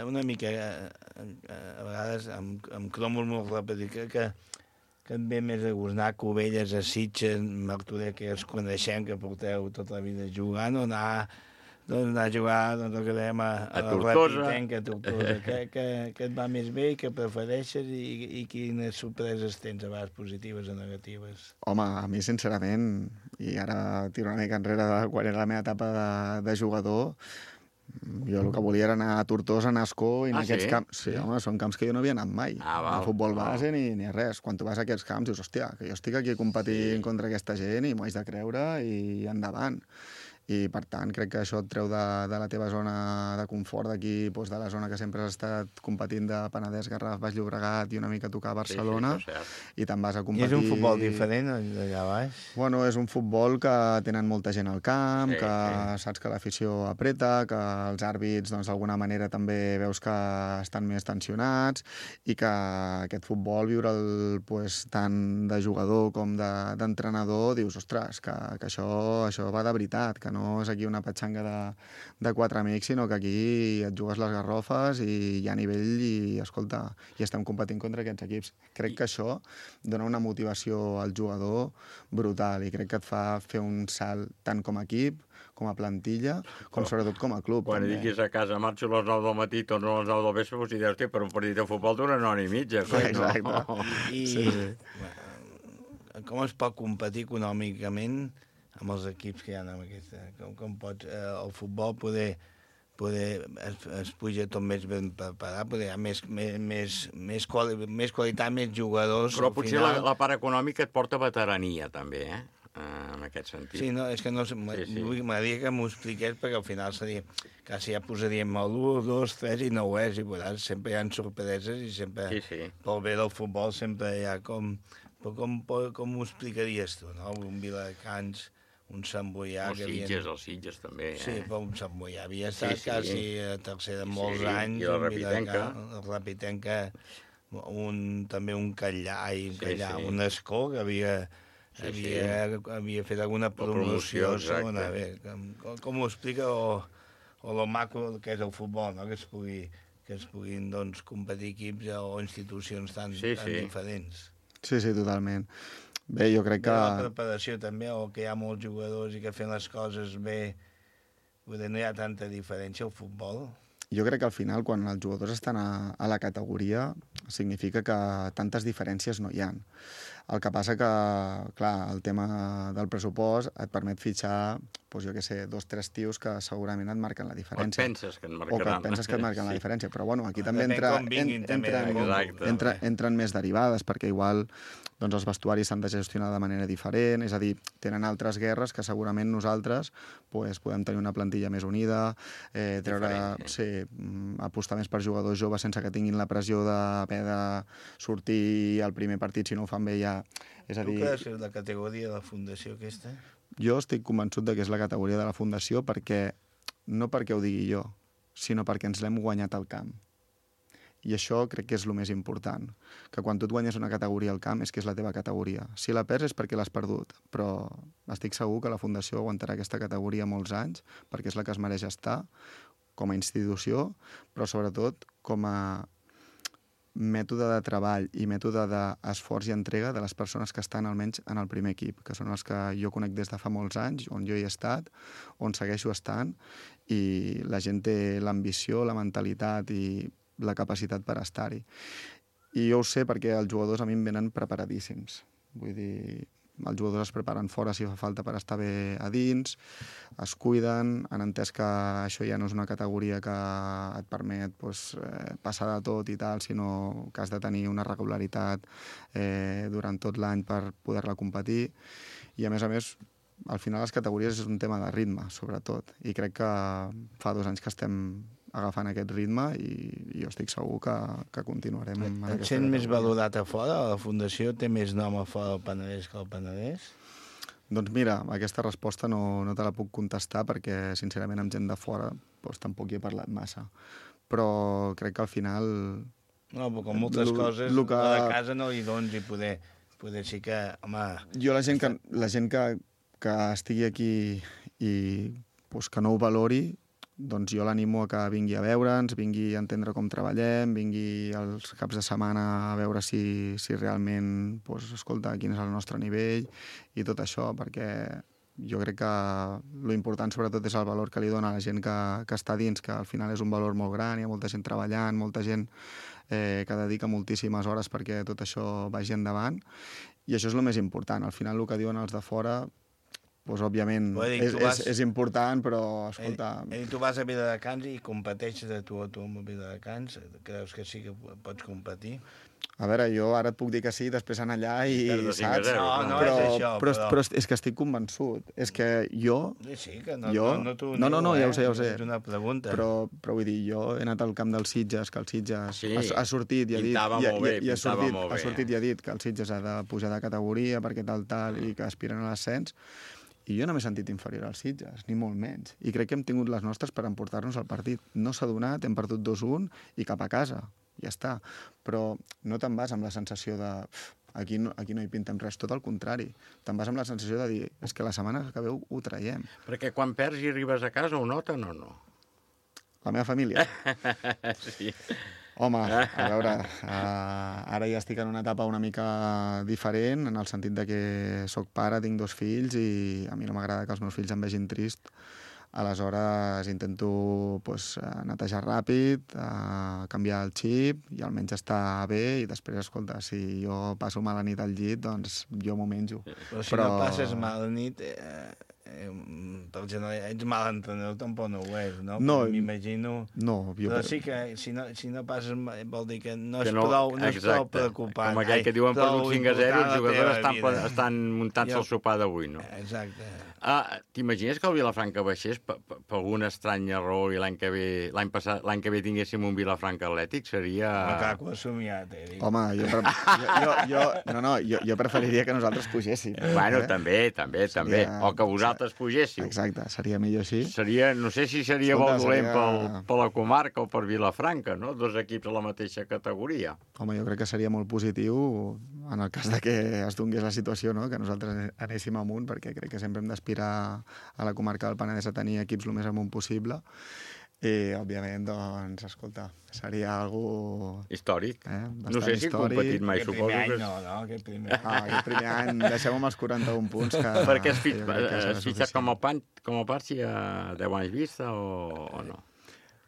Una mica, a vegades amb cromos molt ràpid, que et ve més a gust anar a Cubelles, a Sitges, Martorell, que els coneixem, que porteu tota la vida jugant, o anar a jugar, el que dèiem, a la Rapitenca, a Tortosa. Què et va més bé i què prefereixes, i quines sorpreses tens, a vegades positives o negatives? Home, a mi, sincerament, i ara tiro una mica enrere de quan era la meva etapa de jugador, jo el que volia era anar a Tortosa, a Ascó, i en aquests camps... Sí, home, són camps que jo no havia anat mai. A futbol base ni res. Quan tu vas a aquests camps dius, hòstia, que jo estic aquí competint contra aquesta gent i m'ho haig de creure, i endavant. I, per tant, crec que això et treu de la teva zona de confort, d'aquí, doncs, de la zona que sempre has estat competint de Penedès, Garraf, Baix Llobregat i una mica tocar a Barcelona, i te'n vas a competir... I és un futbol diferent, allà baix? Bueno, és un futbol que tenen molta gent al camp, que saps que l'afició apreta, que els àrbits, doncs, d'alguna manera també veus que estan més tensionats, i que aquest futbol, viure'l pues, tant de jugador com d'entrenador, dius, ostres, que això va de veritat, que no és aquí una petxanga de quatre amics, sinó que aquí et jugues les garrofes i hi ha nivell i, escolta, i estem competint contra aquests equips. Crec que això dona una motivació al jugador brutal i crec que et fa fer un salt tant com a equip, com a plantilla, com sobretot com a club. Quan diguis a casa, marxo a les 9 del matí, torno a les 9 del vespre, doncs dius, per un partit de futbol d'una hora i mitja. Exacte. Com es pot competir econòmicament amb els equips que hi ha en aquesta? Com pots el futbol poder es puja tot més ben preparat, poder hi ha més qualitat, més jugadors. Però potser la part econòmica et porta veterania, també, en aquest sentit. Sí, no, és que no m'agradaria que m'ho expliqués, perquè al final seria, quasi ja posaríem el 1, 2, 3 i no ho és, i veuràs, sempre hi ha sorpreses i sempre, pel bé del futbol, sempre hi ha com ho explicaries tu, no? Un Viladecans, un Sant Boià... Els Sitges també, Sí, però un Sant Boià havia estat quasi a tercera molts anys. I la Rapitenca. La Rapitenca, també un Callà, un Escó, que havia fet alguna promoció. Com ho explica, o lo maco que és el futbol, no? Que es puguin competir equips o institucions tan diferents. Sí, totalment. Bé, jo crec que... La preparació també, o que hi ha molts jugadors i que fent les coses bé, no hi ha tanta diferència al futbol. Jo crec que al final, quan els jugadors estan a la categoria, significa que tantes diferències no hi ha. El que passa que, clar, el tema del pressupost et permet fitxar, jo què sé, 2 o 3 tios que segurament et marquen la diferència. O et penses que et marcaran. O que et penses que et marquen la diferència. Però, bueno, aquí també entren més derivades, perquè igual els vestuaris s'han de gestionar de manera diferent, és a dir, tenen altres guerres que segurament nosaltres podem tenir una plantilla més unida, apostar més per jugadors joves sense que tinguin la pressió d'haver de sortir al primer partit si no ho fan bé ja. És a dir... Tu creus que és la categoria de la fundació aquesta? Jo estic convençut que és la categoria de la fundació no perquè ho digui jo, sinó perquè ens l'hem guanyat al camp. I això crec que és el més important, que quan tu et guanyes una categoria al camp és que és la teva categoria. Si la perds és perquè l'has perdut, però estic segur que la Fundació aguantarà aquesta categoria molts anys, perquè és la que es mereix estar com a institució, però sobretot com a mètode de treball i mètode d'esforç i entrega de les persones que estan almenys en el primer equip, que són els que jo conec des de fa molts anys, on jo hi he estat, on segueixo estant, i la gent té l'ambició, la mentalitat i la capacitat per estar-hi. I jo ho sé perquè els jugadors a mi em venen preparadíssims. Vull dir, els jugadors es preparen fora si fa falta per estar bé a dins, es cuiden, han entès que això ja no és una categoria que et permet passar de tot i tal, sinó que has de tenir una regularitat durant tot l'any per poder-la competir. I a més, al final les categories és un tema de ritme, sobretot. I crec que fa 2 anys que estem agafant aquest ritme i jo estic segur que continuarem en aquesta categoria. Et sent més valorat a fora? La Fundació té més nom a fora del Penedès que el Penedès? Doncs mira, aquesta resposta no te la puc contestar perquè, sincerament, amb gent de fora tampoc hi he parlat massa. Però crec que al final... No, però com moltes coses, a la casa no hi dones i poder sí que... Home... Jo la gent que estigui aquí i que no ho valori, doncs jo l'animo a que vingui a veure'ns, vingui a entendre com treballem, vingui els caps de setmana a veure si realment, escolta, quin és el nostre nivell i tot això, perquè jo crec que l'important sobretot és el valor que li dona a la gent que està dins, que al final és un valor molt gran, hi ha molta gent treballant, molta gent que dedica moltíssimes hores perquè tot això vagi endavant, i això és el més important. Al final el que diuen els de fora doncs, òbviament, és important, però, escolta... Tu vas a Viladecans i competeixes de tu a tu amb Viladecans? Creus que sí que pots competir? A veure, jo ara et puc dir que sí, després anar allà i... saps? No és això, però és que estic convençut. És que jo... Sí, que no t'ho nego, no, ja ho sé. És una pregunta. Però vull dir, jo he anat al camp del Sitges, que el Sitges ha sortit i ha dit... Ha sortit i ha dit que el Sitges ha de pujar de categoria perquè tal, i que aspiren a l'ascens. I jo no m'he sentit inferior als Sitges, ni molt menys. I crec que hem tingut les nostres per emportar-nos al partit. No s'ha donat, hem perdut 2-1 i cap a casa. Ja està. Però no te'n vas amb la sensació de aquí no hi pintem res, tot el contrari. Te'n vas amb la sensació de dir és que la setmana que veu ho traiem. Perquè quan perds i arribes a casa ho noten o no? La meva família? Sí. Home, a veure, ara ja estic en una etapa una mica diferent, en el sentit de que soc pare, tinc 2 fills i a mi no m'agrada que els meus fills em vegin trist. Aleshores intento netejar ràpid, canviar el xip i almenys estar bé i després, escolta, si jo passo mala nit al llit, doncs jo m'ho menjo. Però si no passes mala nit, ets mal entrenador, tampoc no ho és, no? No, m'imagino... No, però sí que si no passes vol dir que no és prou preocupant. Com aquell que diuen per un 5-0, els jugadors estan muntant-se el sopar d'avui, no? Exacte. T'imagines que el Vilafranca baixés per algun estrany error i l'any que ve tinguéssim un Vilafranca Atlètic? Seria... Macaco assomiat, Eric. Home, jo preferiria que nosaltres pugéssim. Bueno, també. O que vosaltres pugéssiu. Exacte, seria millor així. No sé si seria molt dolent per la comarca o per Vilafranca, no? 2 equips a la mateixa categoria. Home, jo crec que seria molt positiu en el cas de que es donés la situació, no? Que nosaltres anéssim amunt, perquè crec que sempre hem d'aspirar a la comarca del Penedès a tenir equips el més amunt possible. I, òbviament, doncs, escolta, seria algo... històric. No sé si he competit mai, suposo que... Aquest primer any. Aquest primer any, deixem amb els 41 punts que... Perquè has fitxat com a Parsi a 10 anys vista o no?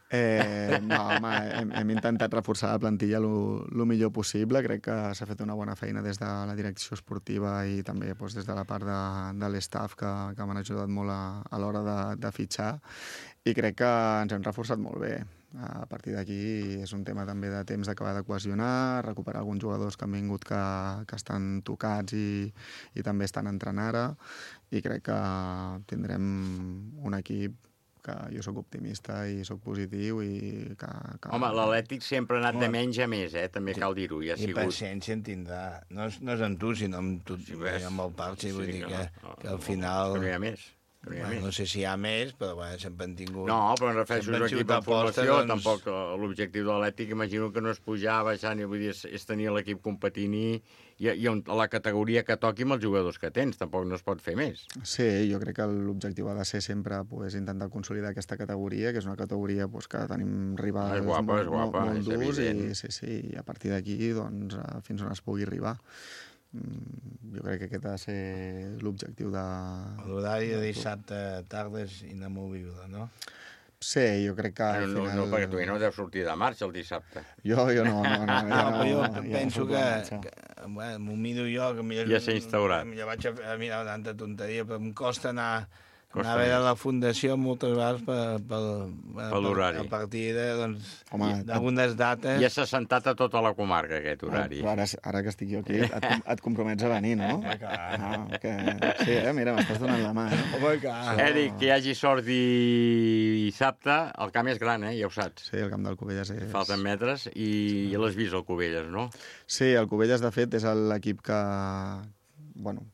No, home, hem intentat reforçar la plantilla el millor possible. Crec que s'ha fet una bona feina des de la direcció esportiva i també des de la part de l'estaff que m'han ajudat molt a l'hora de fitxar i crec que ens hem reforçat molt bé. A partir d'aquí és un tema també de temps d'acabar de cohesionar, recuperar alguns jugadors que han vingut que estan tocats i també estan entrenant ara i crec que tindrem un equip que jo sóc optimista i sóc positiu i que... Home, l'Atlètic sempre ha anat de menys a més, també cal dir-ho. I paciència en tindrà. No és amb tu, sinó amb el Parsi, vull dir que al final... Que no hi ha més. No sé si hi ha més, però sempre han tingut... No, però em refereixo a l'equip de formació, tampoc l'objectiu de l'Atlètic, imagino que no és pujar, baixar, vull dir, és tenir l'equip competint i a la categoria que toqui amb els jugadors que tens, tampoc no es pot fer més. Sí, jo crec que l'objectiu ha de ser sempre intentar consolidar aquesta categoria, que és una categoria que tenim rivals molt durs i a partir d'aquí fins on es pugui arribar. Jo crec que aquest ha de ser l'objectiu de... L'horari de dissabte tarda és inamovible, no? Sí, jo crec que al final... No, perquè tu no deu sortir de marxa el dissabte. Jo no. Jo penso que m'ho miro jo, que ja s'ha instaurat. Ja vaig a mirar tanta tonteria, però em costa anar a veure la fundació moltes vegades per l'horari. A partir d'algunes dates... Ja s'ha sentat a tota la comarca, aquest horari. Ara que estic jo aquí, et compromets a venir, no? Sí, mira, m'estàs donant la mà. Eric, que hi hagi sort dissabte, el camp és gran, ja ho saps. Sí, el camp del Cubelles és... Falten metres i l'has vist, el Cubelles, no? Sí, el Cubelles, de fet, és l'equip que...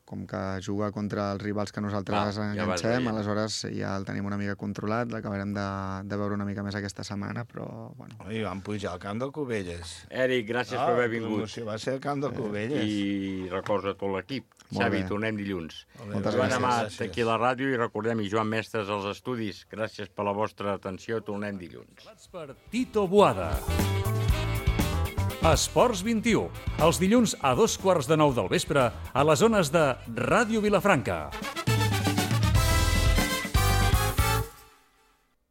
com que juga contra els rivals que nosaltres enganxem, aleshores ja el tenim una mica controlat, l'acabarem de veure una mica més aquesta setmana, però... I vam pujar al camp del Cubelles. Eric, gràcies per haver vingut. Va ser el camp del Cubelles. I recorda tot l'equip. Xavi, tornem dilluns. Moltes gràcies. Joan Amat, aquí a la ràdio, i recordem, i Joan Mestres als estudis. Gràcies per la vostra atenció, tornem dilluns. Per Tito Boada. Esports 21, els dilluns a 2:15 del vespre a les zones de Ràdio Vilafranca.